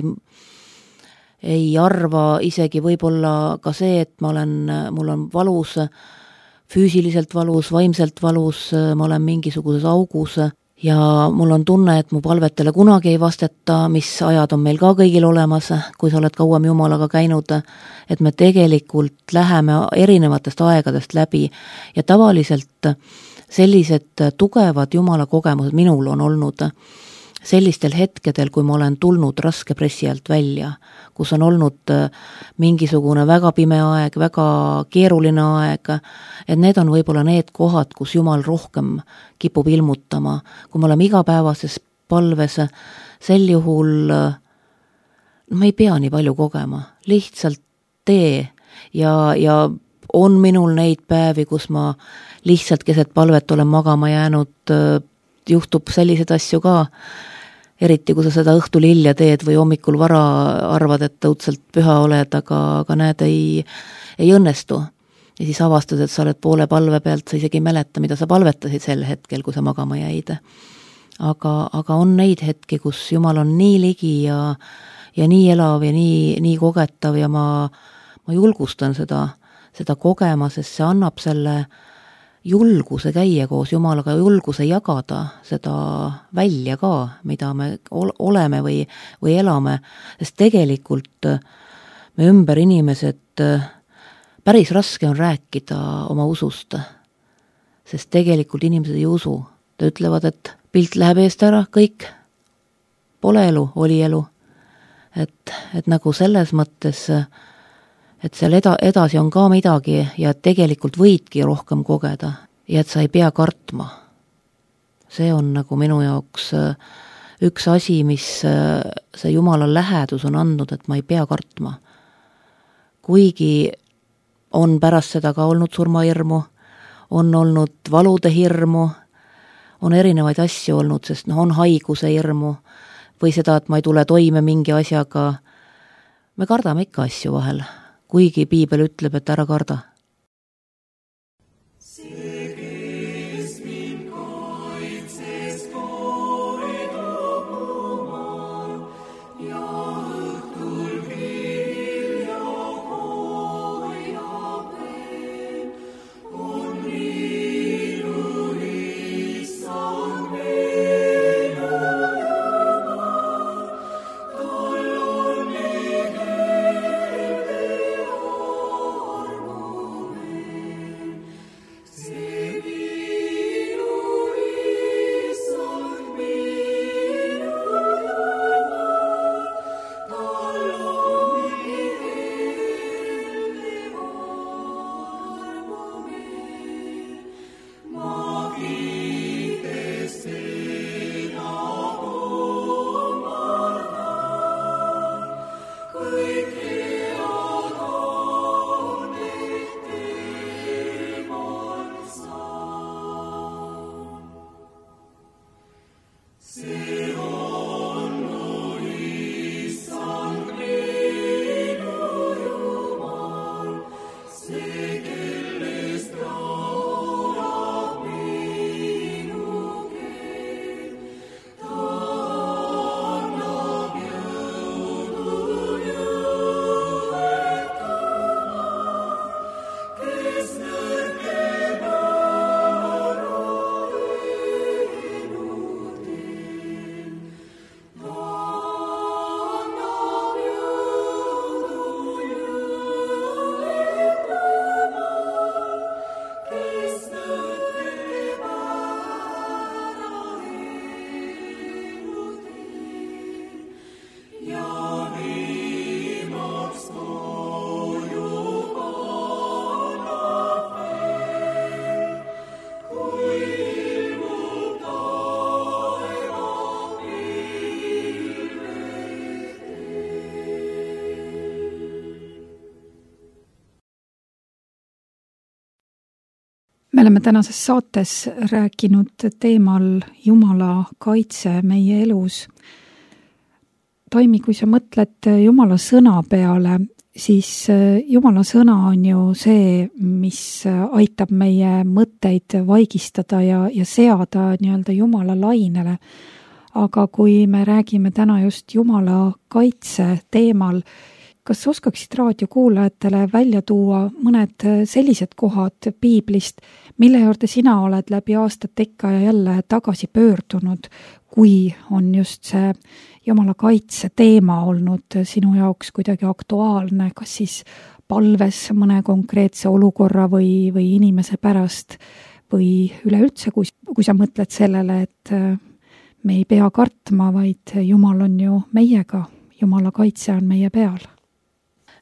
Speaker 3: ei arva isegi võib-olla ka see, et ma olen, mul on valus, füüsiliselt valus, vaimselt valus, ma olen mingisuguses augus ja mul on tunne, et mu palvetele kunagi ei vasteta, mis ajad on meil ka kõigil olemas, kui sa oled kauem Jumalaga käinud, et me tegelikult läheme erinevatest aegadest läbi ja tavaliselt sellised tugevad Jumala kogemused minul on olnud sellistel hetkedel, kui ma olen tulnud raske pressi alt välja, kus on olnud mingisugune väga pime aeg, väga keeruline aeg, et need on võib-olla need kohad, kus Jumal rohkem kipub ilmutama. Kui me oleme igapäevases palves, sel juhul ma ei pea nii palju kogema, lihtsalt tee ja, ja on minul neid päevi, kus ma lihtsalt keset palvet olen magama jäänud, juhtub sellised asju ka, eriti kui sa seda õhtul hilja teed või hommikul vara arvad, et õudselt püha oled, aga, aga näed, ei, ei õnnestu. Ja siis avastad, et sa oled poole palve pealt, sa isegi ei mäleta, mida sa palvetasid sel hetkel, kui sa magama jäid. Aga, aga on neid hetki, kus Jumal on nii ligi ja, ja nii elav ja nii, nii kogetav ja ma, ma julgustan seda, seda kogema, sest see annab selle julguse käia koos Jumalaga, julguse jagada seda välja ka, mida me oleme või, või elame, sest tegelikult me ümber inimesed päris raske on rääkida oma usust, sest tegelikult inimesed ei usu. Ta ütlevad, et pilt läheb eest ära, kõik, pole elu, oli elu. Et, et nagu selles mõttes, et seal eda, edasi on ka midagi ja tegelikult võidki rohkem kogeda ja et sa ei pea kartma. See on nagu minu jaoks üks asi, mis see Jumala lähedus on andnud, et ma ei pea kartma. Kuigi on pärast seda ka olnud surmahirmu, on olnud valude hirmu, on erinevaid asju olnud, sest no, on haiguse hirmu või seda, et ma ei tule toime mingi asjaga. Me kardame ikka asju vahel, kuigi piibel ütleb, et ära karda.
Speaker 2: Me oleme tänases saates rääkinud teemal Jumala kaitse meie elus. Taimi, kui sa mõtled Jumala sõna peale, siis Jumala sõna on ju see, mis aitab meie mõtteid vaigistada ja, ja seada nii-öelda Jumala lainele. Aga kui me räägime täna just Jumala kaitse teemal, kas oskaksid raadiokuulajatele välja tuua mõned sellised kohad piiblist, mille juurde sina oled läbi aastat ikka ja jälle tagasi pöördunud, kui on just see Jumala kaitse teema olnud sinu jaoks kuidagi aktuaalne, kas siis palves mõne konkreetse olukorra või, või inimese pärast või üleüldse, kui, kui sa mõtled sellele, et me ei pea kartma, vaid Jumal on ju meiega, Jumala kaitse on meie peal.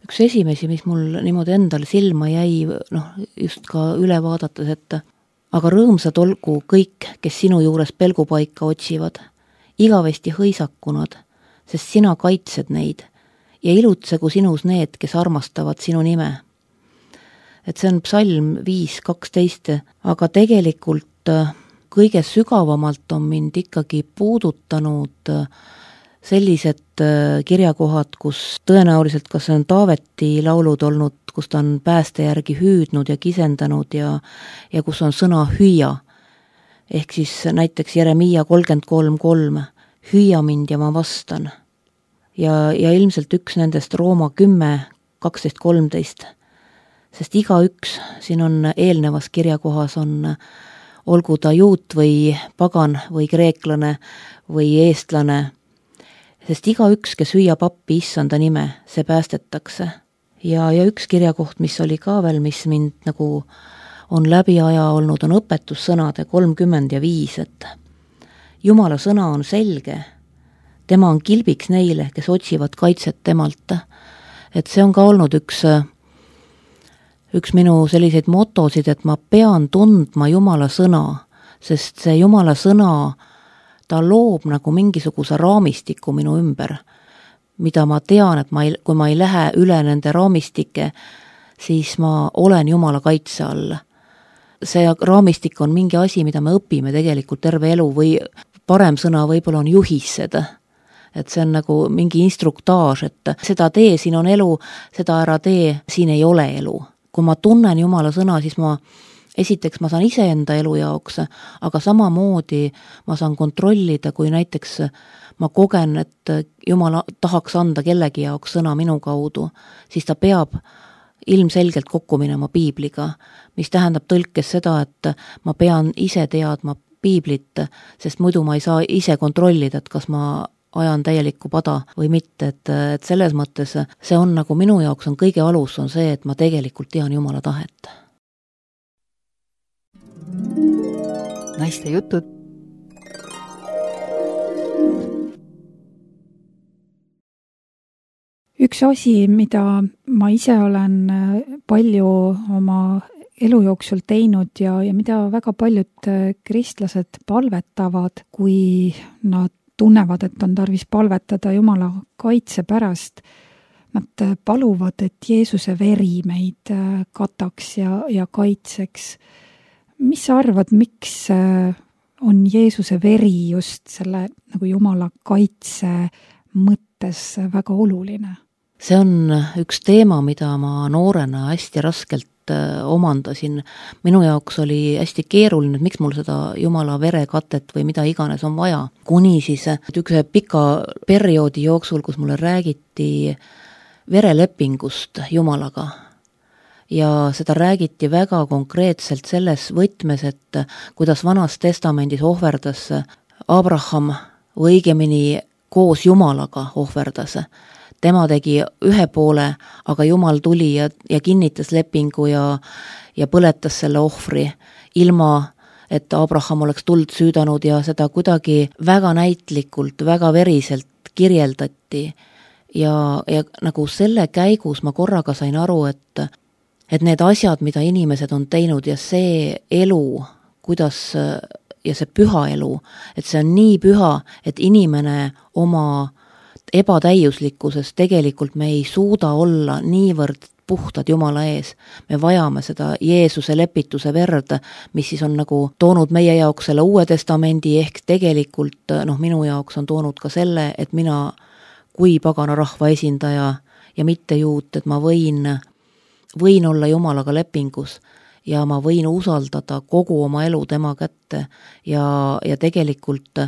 Speaker 3: Üks esimesi, mis mul niimoodi endal silma jäi, noh, just ka üle vaadates, et aga rõõmsad olgu kõik, kes sinu juures pelgupaika otsivad, igavesti hõisakunad, sest sina kaitsed neid ja ilutsegu sinus need, kes armastavad sinu nime. Et see on psalm viis kaksteist, aga tegelikult kõige sügavamalt on mind ikkagi puudutanud sellised kirjakohad, kus tõenäoliselt kas on Taaveti laulud olnud, kus ta on pääste järgi hüüdnud ja kisendanud ja, ja kus on sõna hüüa. Ehk siis näiteks Jeremiia kolmkümmend kolm kolm, hüüa mind ja ma vastan. Ja, ja ilmselt üks nendest Rooma kümme kaksteist kolmteist, sest iga üks, siin on eelnevas kirjakohas on, olgu ta juut või pagan või kreeklane või eestlane, sest iga üks, kes hüüab appi issanda nime, see päästetakse. ja, ja üks kirjakoht, mis oli ka veel, mis mind nagu on läbi aja olnud, on õpetussõnade kolmkümmend ja viis, et Jumala sõna on selge, tema on kilbiks neile, kes otsivad kaitset temalt. Et see on ka olnud üks, üks minu selliseid motosid, et ma pean tundma Jumala sõna, sest see Jumala sõna, ta loob nagu mingisuguse raamistiku minu ümber, mida ma tean, et ma ei, kui ma ei lähe üle nende raamistike, siis ma olen Jumala kaitse all. See raamistik on mingi asi, mida me õpime tegelikult terve elu või parem sõna võib-olla on juhised. Et see on nagu mingi instruktaaž, et seda tee, siin on elu, seda ära tee, siin ei ole elu. Kui ma tunnen Jumala sõna, siis ma esiteks ma saan iseenda elu jaoks, aga samamoodi ma saan kontrollida, kui näiteks ma kogen, et Jumala tahaks anda kellegi jaoks sõna minu kaudu, siis ta peab ilmselgelt kokku minema piibliga, mis tähendab tõlkes seda, et ma pean ise teadma piiblit, sest muidu ma ei saa ise kontrollida, et kas ma ajan täielikku pada või mitte, et, et selles mõttes see on nagu minu jaoks on kõige alus on see, et ma tegelikult tean Jumala tahet.
Speaker 1: Naiste jutud.
Speaker 2: Üks asi, mida ma ise olen palju oma elu jooksul teinud ja, ja mida väga paljud kristlased palvetavad, kui nad tunnevad, et on tarvis palvetada Jumala kaitse pärast. Nad paluvad, et Jeesuse veri meid kataks ja, ja kaitseks. Mis sa arvad, miks on Jeesuse veri just selle nagu Jumala kaitse mõttes väga oluline?
Speaker 3: See on üks teema, mida ma noorena hästi raskelt omandasin. Minu jaoks oli hästi keeruline, et miks mul seda Jumala verekatet või mida iganes on vaja. Kuni siis üks pika perioodi jooksul, kus mulle räägiti verelepingust Jumalaga. Ja seda räägiti väga konkreetselt selles võtmes, et kuidas Vanas Testamendis ohverdas Abraham või õigemini koos Jumalaga ohverdas. Tema tegi ühe poole, aga Jumal tuli ja, ja kinnitas lepingu ja, ja põletas selle ohvri, ilma et Abraham oleks tuld süüdanud ja seda kuidagi väga näitlikult, väga veriselt kirjeldati. Ja, ja nagu selle käigus ma korraga sain aru, et, et need asjad, mida inimesed on teinud ja see elu, kuidas ja see püha elu, et see on nii püha, et inimene oma ebatäiuslikkuses tegelikult me ei suuda olla niivõrd puhtad Jumala ees. Me vajame seda Jeesuse lepituse verd, mis siis on nagu toonud meie jaoks selle Uue Testamendi ehk tegelikult noh, minu jaoks on toonud ka selle, et mina kui pagana rahva esindaja ja mitte juut, et ma võin, võin olla Jumalaga lepingus ja ma võin usaldada kogu oma elu tema kätte ja, ja tegelikult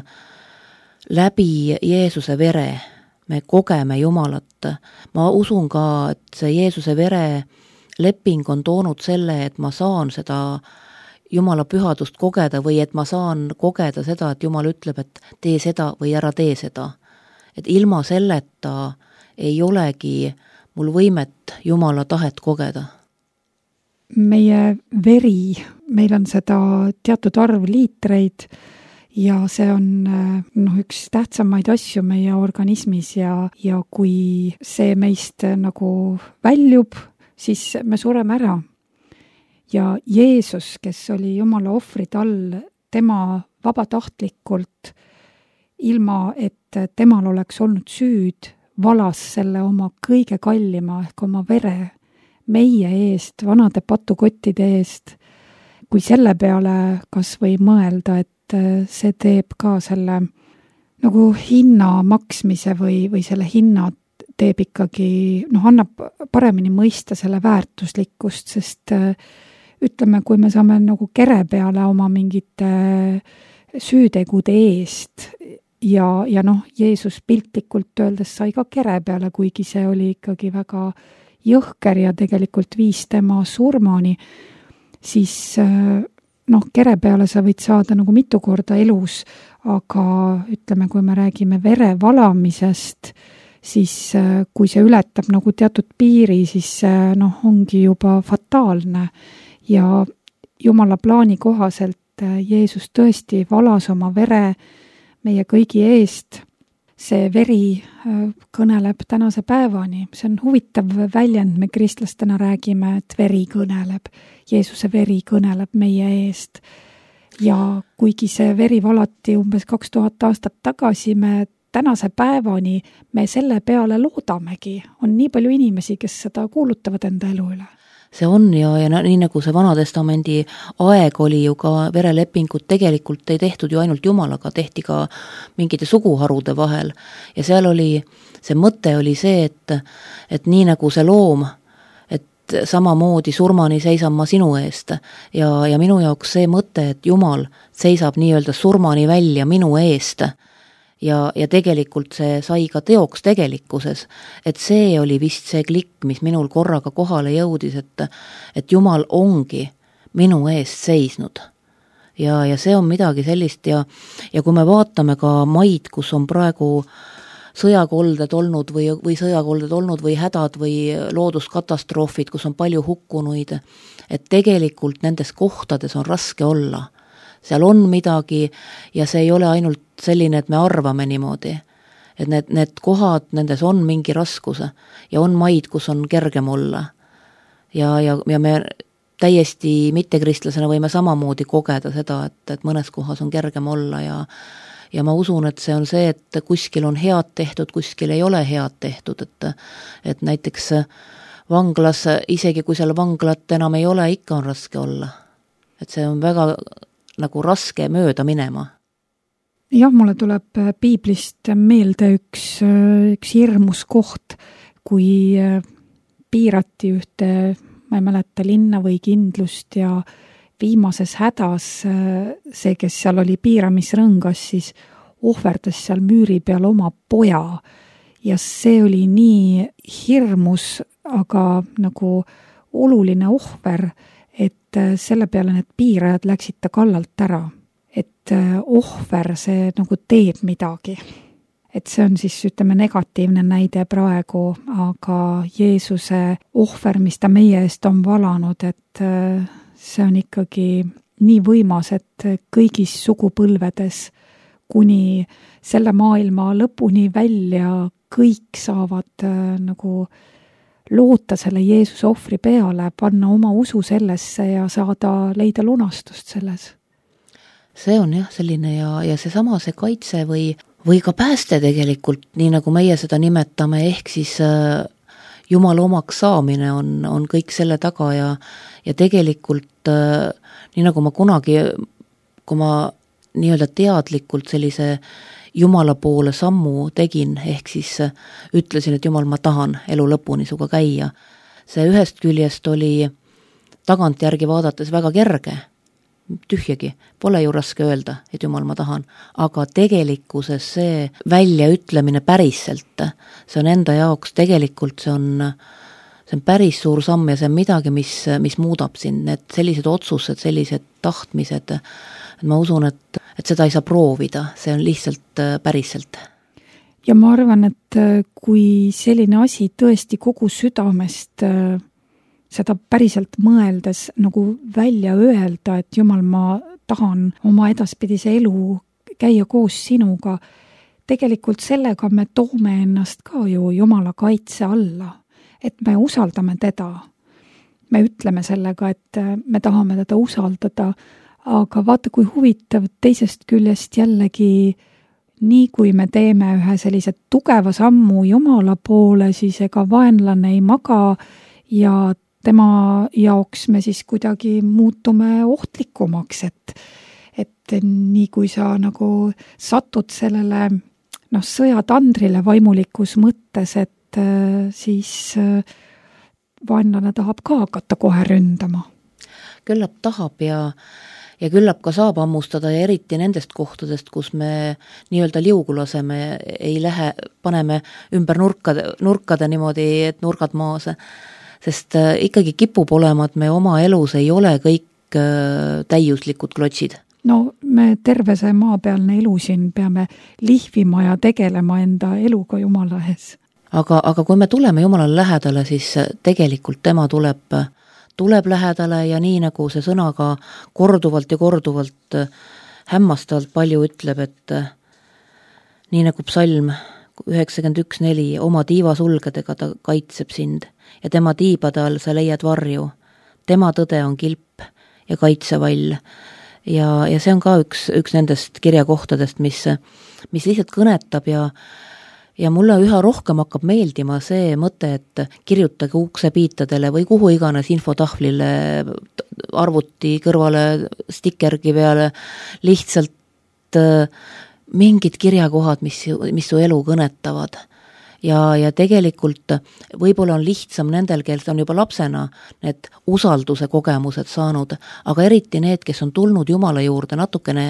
Speaker 3: läbi Jeesuse vere me kogeme Jumalat. Ma usun ka, et see Jeesuse vere leping on toonud selle, et ma saan seda Jumala pühadust kogeda või et ma saan kogeda seda, et Jumal ütleb, et tee seda või ära tee seda. Et ilma selleta ei olegi mul võimet Jumala tahet kogeda.
Speaker 2: Meie veri, meil on seda teatud arv liitreid, ja see on noh, üks tähtsamaid asju meie organismis ja, ja kui see meist nagu väljub, siis me sureme ära. Ja Jeesus, kes oli Jumala ohvrid all, tema vabatahtlikult, ilma et temal oleks olnud süüd, valas selle oma kõige kallima ehk oma vere meie eest, vanade patukottide eest. Kui selle peale kas või mõelda, et see teeb ka selle nagu hinna maksmise või, või selle hinna teeb ikkagi, noh, annab paremini mõista selle väärtuslikkust, sest ütleme, kui me saame nagu kere peale oma mingite süütegude eest ja, ja noh, Jeesus piltlikult öeldes sai ka kere peale, kuigi see oli ikkagi väga jõhker ja tegelikult viis tema surmani, siis noh, kere peale sa võid saada nagu mitu korda elus, aga ütleme, kui me räägime vere valamisest, siis kui see ületab nagu teatud piiri, siis see noh, ongi juba fataalne ja Jumala plaani kohaselt Jeesus tõesti valas oma vere meie kõigi eest. See veri kõneleb tänase päevani. See on huvitav väljend, me kristlastena räägime, et veri kõneleb. Jeesuse veri kõneleb meie eest. Ja kuigi see veri valati umbes kaks tuhat aastat tagasi, me tänase päevani me selle peale loodamegi. On nii palju inimesi, kes seda kuulutavad enda elu üle.
Speaker 3: See on ja, ja nii nagu see Vanatestamendi aeg oli ju ka verelepingut, tegelikult ei tehtud ju ainult Jumalaga, tehti ka mingite suguharude vahel. Ja seal oli, see mõte oli see, et, et nii nagu see loom, et samamoodi surmani seisan ma sinu eest. Ja, ja minu jaoks see mõte, et Jumal seisab nii-öelda surmani välja minu eest. Ja, ja tegelikult see sai ka teoks tegelikkuses, et see oli vist see klikk, mis minul korraga kohale jõudis, et, et Jumal ongi minu eest seisnud. Ja, ja see on midagi sellist ja, ja kui me vaatame ka maid, kus on praegu sõjakolded olnud või, või sõjakolded olnud või hädad või looduskatastroofid, kus on palju hukkunuid, et tegelikult nendes kohtades on raske olla. Seal on midagi ja see ei ole ainult selline, et me arvame niimoodi. Et need, need kohad, nendes on mingi raskuse ja on maid, kus on kergem olla. Ja, ja, ja me täiesti mittekristlasena võime samamoodi kogeda seda, et, et mõnes kohas on kergem olla ja, ja ma usun, et see on see, et kuskil on head tehtud, kuskil ei ole head tehtud, et, et näiteks vanglas, isegi kui seal vanglat enam ei ole, ikka on raske olla. Et see on väga nagu raske mööda minema.
Speaker 2: Jah, mulle tuleb piiblist meelde üks, üks hirmus koht, kui piirati ühte, ma ei mäleta, linna või kindlust ja viimases hädas see, kes seal oli piiramisrõngas, siis ohverdas seal müüri peal oma poja ja see oli nii hirmus, aga nagu oluline ohver, et selle peale need piirajad läksid ta kallalt ära. Et ohver see nagu teeb midagi. Et see on siis, ütleme, negatiivne näide praegu, aga Jeesuse ohver, mis ta meie eest on valanud, et see on ikkagi nii võimas, et kõigis sugupõlvedes kuni selle maailma lõpuni välja kõik saavad nagu loota selle Jeesuse ohvri peale, panna oma usu sellesse ja saada leida lunastust selles.
Speaker 3: See on jah selline ja, ja see sama see kaitse või, või ka pääste tegelikult, nii nagu meie seda nimetame, ehk siis äh, Jumala omaks saamine on, on kõik selle taga ja, ja tegelikult äh, nii nagu ma kunagi, kui ma nii-öelda teadlikult sellise Jumala poole sammu tegin, ehk siis ütlesin, et Jumal, ma tahan elu lõpuni suga käia. See ühest küljest oli tagantjärgi vaadates väga kerge, tühjagi, pole ju raske öelda, et Jumal, ma tahan, aga tegelikkuses see väljaütlemine päriselt, see on enda jaoks tegelikult, see on, see on päris suur samm ja see on midagi, mis, mis muudab sind, need sellised otsused, sellised tahtmised, et ma usun, et, et seda ei saa proovida, see on lihtsalt päriselt.
Speaker 2: Ja ma arvan, et kui selline asi tõesti kogu südamest seda päriselt mõeldes nagu välja öelda, et Jumal, ma tahan oma edaspidise elu käia koos sinuga, tegelikult sellega me toome ennast ka ju Jumala kaitse alla, et me usaldame teda. Me ütleme sellega, et me tahame teda usaldada, aga vaata, kui huvitav teisest küljest jällegi, nii kui me teeme ühe sellise tugeva sammu Jumala poole, siis ega vaenlane ei maga ja tema jaoks me siis kuidagi muutume ohtlikumaks, et, et nii kui sa nagu satud sellele noh, sõjatandrile vaimulikus mõttes, et siis vaenlane tahab ka hakata kohe ründama.
Speaker 3: Küllap tahab ja ja küllap ka saab ammustada ja eriti nendest kohtadest, kus me nii-öelda liugu laseme, ei lähe, paneme ümber nurkade, nurkade niimoodi, et nurgad maas, sest ikkagi kipub olema, et me oma elus ei ole kõik täiuslikud klotsid.
Speaker 2: No me terve see maapealne elu siin peame lihvima ja tegelema enda eluga Jumala ees.
Speaker 3: aga, aga kui me tuleme Jumalale lähedale, siis tegelikult tema tuleb, tuleb lähedale ja nii nagu see sõna ka korduvalt ja korduvalt hämmastavalt palju ütleb, et nii nagu psalm üheksakümmend üks neli, oma tiivasulgedega ta kaitseb sind ja tema tiibade all sa leiad varju. Tema tõde on kilp ja kaitsevall. Ja, ja see on ka üks, üks nendest kirjakohtadest, mis, mis lihtsalt kõnetab ja, ja mulle üha rohkem hakkab meeldima see mõte, et kirjutage uksepiitadele või kuhu iganes infotahvlile, arvuti kõrvale, stikergi peale, lihtsalt mingid kirjakohad, mis, mis su elu kõnetavad. Ja, ja tegelikult võib-olla on lihtsam nendel, kes on juba lapsena need usalduse kogemused saanud, aga eriti need, kes on tulnud Jumala juurde natukene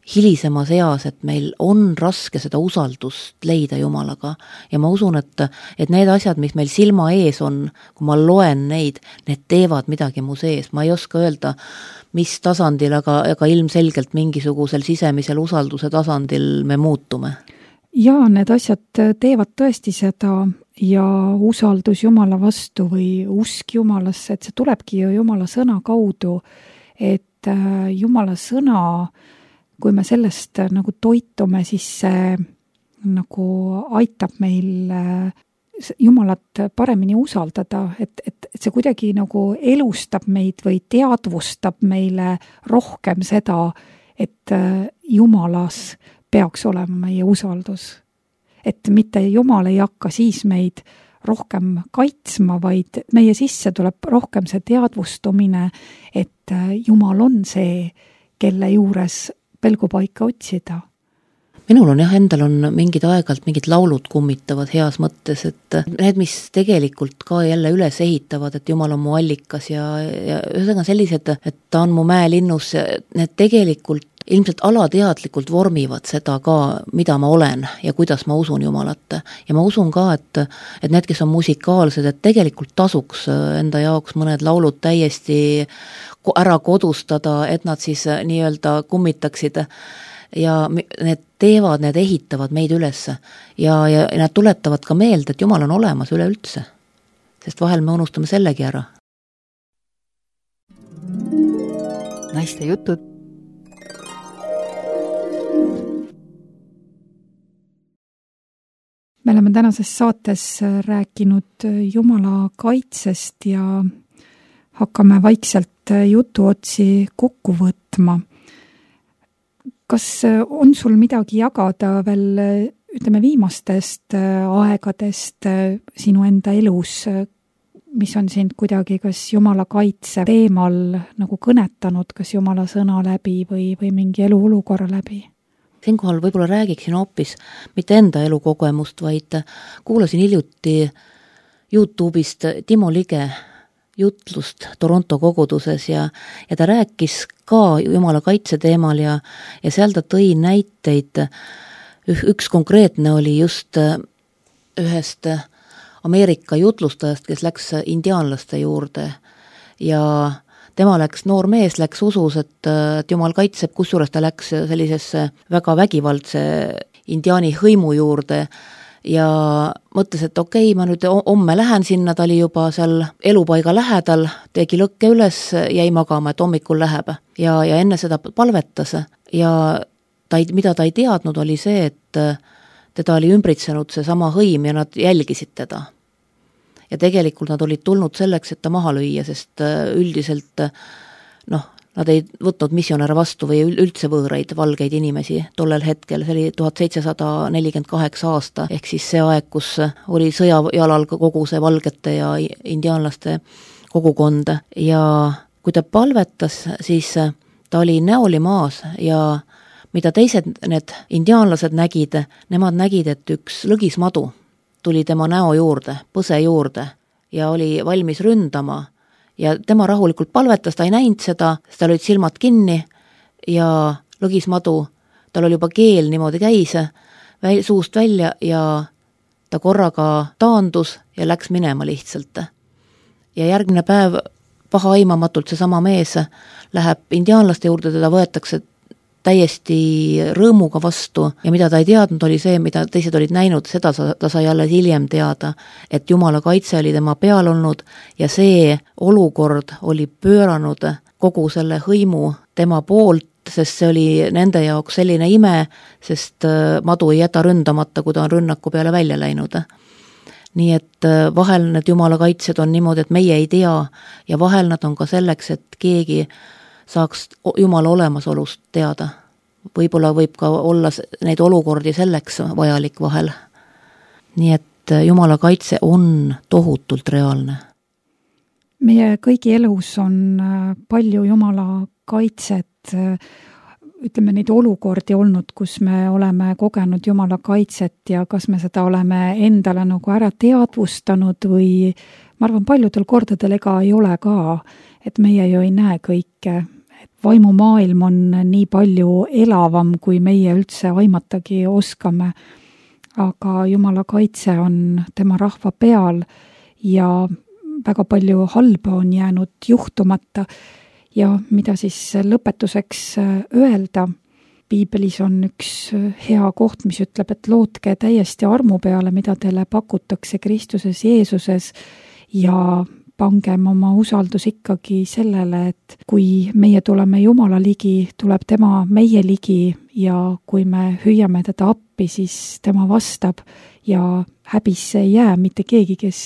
Speaker 3: hilisemas eas, et meil on raske seda usaldust leida Jumalaga. Ja ma usun, et, et need asjad, mis meil silma ees on, kui ma loen neid, need teevad midagi mu sees. Ma ei oska öelda, mis tasandil, aga, aga ilmselgelt mingisugusel sisemisel usalduse tasandil me muutume.
Speaker 2: Jaa, need asjad teevad tõesti seda ja usaldus Jumala vastu või usk Jumalasse, et see tulebki ju Jumala sõna kaudu, et Jumala sõna, kui me sellest nagu toitume, siis see nagu aitab meil Jumalat paremini usaldada, et, et, et see kuidagi nagu elustab meid või teadvustab meile rohkem seda, et Jumalas peaks olema meie usaldus. Et mitte Jumal ei hakka siis meid rohkem kaitsma, vaid meie sisse tuleb rohkem see teadvustumine, et Jumal on see, kelle juures pelgupaika otsida.
Speaker 3: Minul on jah, endal on mingid aegalt mingid laulud kummitavad heas mõttes, et need, mis tegelikult ka jälle üles ehitavad, et Jumal on mu allikas ja, ja ühesõnaga sellised, et ta on mu mäelinnus, need tegelikult ilmselt alateadlikult vormivad seda ka, mida ma olen ja kuidas ma usun Jumalat. Ja ma usun ka, et, et need, kes on musikaalsed, et tegelikult tasuks enda jaoks mõned laulud täiesti ära kodustada, et nad siis nii-öelda kummitaksid ja need teevad, need ehitavad meid üles ja, ja nad tuletavad ka meelde, et Jumal on olemas üleüldse, sest vahel me unustame sellegi ära.
Speaker 1: Naiste jutud.
Speaker 2: Me oleme tänases saates rääkinud Jumala kaitsest ja hakkame vaikselt jutuotsi kokku võtma. Kas on sul midagi jagada veel, ütleme, viimastest aegadest sinu enda elus, mis on sind kuidagi kas Jumala kaitse teemal nagu kõnetanud, kas Jumala sõna läbi või, või mingi eluolukorra läbi?
Speaker 3: Siinkohal võib-olla räägiksin hoopis mitte enda elukogemust, vaid kuulasin hiljuti YouTube'ist Timo Lige jutlust Toronto koguduses ja, ja ta rääkis ka Jumala kaitse teemal ja, ja seal ta tõi näiteid. Üks konkreetne oli just ühest Ameerika jutlustajast, kes läks indiaanlaste juurde ja tema läks, noor mees läks usus, et, et Jumal kaitseb, kusjuures ta läks sellisesse väga vägivaldse indiaani hõimu juurde ja mõtles, et okei, ma nüüd homme lähen sinna, ta oli juba seal elupaiga lähedal, tegi lõkke üles, jäi magama, et hommikul läheb ja, ja enne seda palvetas ja ta ei, mida ta ei teadnud, oli see, et teda oli ümbritsenud see sama hõim ja nad jälgisid teda. Ja tegelikult nad olid tulnud selleks, et ta maha lüüa, sest üldiselt noh, nad ei võtnud missionäre vastu või üldse võõraid valgeid inimesi tollel hetkel, see oli tuhat seitsesada nelikümmend kaheksa aasta, ehk siis see aeg, kus oli sõjajalal kogu see valgete ja indiaanlaste kogukond ja kui ta palvetas, siis ta oli näoli maas ja mida teised need indiaanlased nägid, nemad nägid, et üks lõgismadu tuli tema näo juurde, põse juurde ja oli valmis ründama ja tema rahulikult palvetas, ta ei näinud seda, sest tal olid silmad kinni ja lõgismadu, tal oli juba keel niimoodi käis väl, suust välja ja ta korraga taandus ja läks minema lihtsalt. Ja järgmine päev paha aimamatult seesama mees läheb indiaanlaste juurde, teda võetakse täiesti rõõmuga vastu ja mida ta ei teadnud, oli see, mida teised olid näinud, seda ta sai alles hiljem teada, et Jumala kaitse oli tema peal olnud ja see olukord oli pööranud kogu selle hõimu tema poolt, sest see oli nende jaoks selline ime, sest madu ei jäta ründamata, kui ta on rünnaku peale välja läinud. Nii et vahel need Jumala kaitsed on niimoodi, et meie ei tea ja vahel nad on ka selleks, et keegi saaks Jumala olemasolust teada. Võib-olla võib ka olla neid olukordi selleks vajalik vahel. Nii et Jumala kaitse on tohutult reaalne.
Speaker 2: Meie kõigi elus on palju Jumala kaitset, ütleme neid olukordi olnud, kus me oleme kogenud Jumala kaitset ja kas me seda oleme endale nagu ära teadvustanud või ma arvan, paljudel kordadel ega ei ole ka, et meie ju ei näe kõike. Et vaimumaailm on nii palju elavam, kui meie üldse aimatagi oskame, aga Jumala kaitse on tema rahva peal ja väga palju halba on jäänud juhtumata ja mida siis lõpetuseks öelda. Piibelis on üks hea koht, mis ütleb, et lootke täiesti armu peale, mida teile pakutakse Kristuses Jeesuses ja pangem oma usaldus ikkagi sellele, et kui meie tuleme Jumala ligi, tuleb tema meie ligi ja kui me hüüame teda appi, siis tema vastab ja häbisse ei jää mitte keegi, kes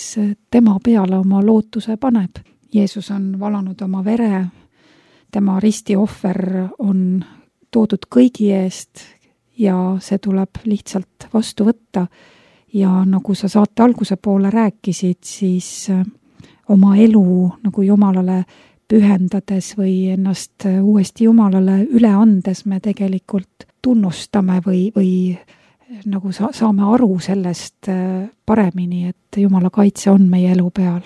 Speaker 2: tema peale oma lootuse paneb. Jeesus on valanud oma vere, tema ristiohver on toodud kõigi eest ja see tuleb lihtsalt vastu võtta ja nagu sa saate alguse poole rääkisid, siis oma elu nagu Jumalale pühendades või ennast uuesti Jumalale üle andes me tegelikult tunnustame või, või nagu sa, saame aru sellest paremini, et Jumala kaitse on meie elu peal.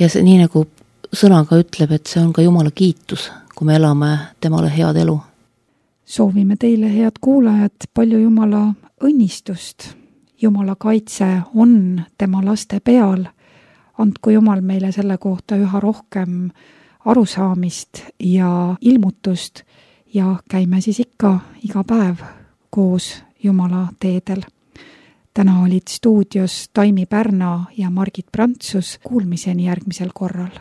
Speaker 3: Ja see nii nagu sõnaga ütleb, et see on ka Jumala kiitus, kui me elame temale head elu.
Speaker 2: Soovime teile, head kuulajad, palju Jumala õnnistust. Jumala kaitse on tema laste peal. Andku Jumal meile selle kohta üha rohkem arusaamist ja ilmutust ja käime siis ikka iga päev koos Jumala teedel. Täna olid stuudios Taimi Pärna ja Margit Prantsus. Kuulmiseni järgmisel korral.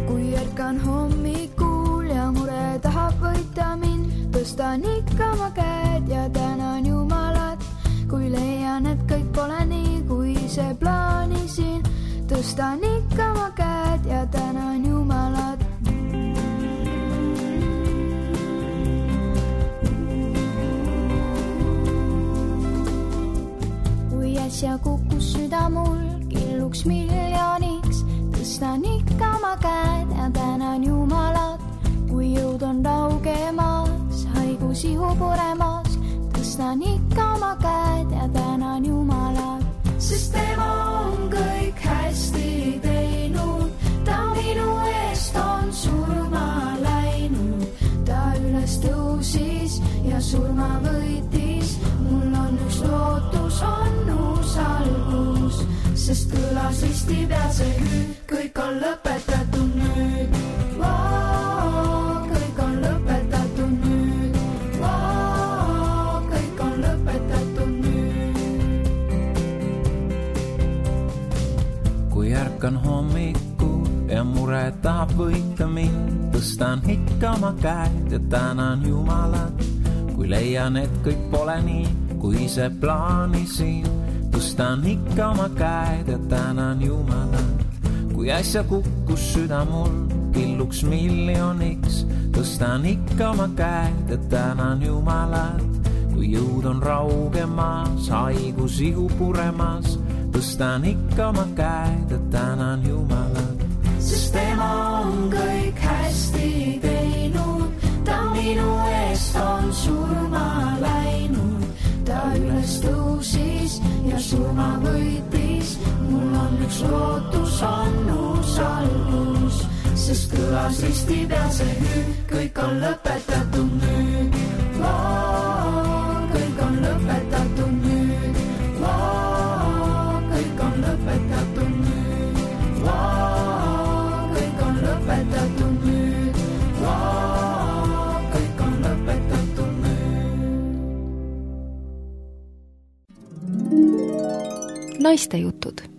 Speaker 4: Kui ärkan hommikul ja mure tahab võita mind, tõstan ikka ma käed ja tänan Jumalat. Kui leian, et kõik pole nii, kui see plaanisin, tõstan ikka ma käed ja tänan Jumalat. Kui äsja kukkus süda mul killuks miljoniks, tõstan ikka ma käed ja tänan Jumalat. Kui jõud on raugemas, haigus ihu puremas, tõstan ikka ma käed ja tänan Jumalat. Sest tema on kõik hästi teinud, ta minu eest on surma läinud. Ta üles tõusis ja surma võitis, mul on üks lootus, on uus algus. Sest kõlas risti peal see hüüd, kõik on lõpetatud nüüd. Vau, kõik on lõpetatud nüüd. Vau, kõik on lõpetatud nüüd.
Speaker 5: Kui ärkan hommikul ja mure tahab võita mind, tõstan ikka ma käed ja tänan Jumalat. Kui leian, et kõik pole nii, kui see plaanisin, tõstan ikka ma käed ja tänan Jumalat. Kui äsja kukkus süda mul killuks miljoniks, tõstan ikka ma käed ja tänan Jumalat. Kui jõud on raugemas, haigus ihu puremas, tõstan ikka ma käed ja tänan Jumalat. Sest tema on kõik hästi teinud, ta minu eest on surma läinud. Ta üles tõusis ja surma võitis, mul on üks lootus, on uus algus. Sest kõlas risti peal see hüüd, kõik on lõpetatud nüüd. Vau, kõik on lõpetatud nüüd. Vau, kõik
Speaker 1: Naistejutud.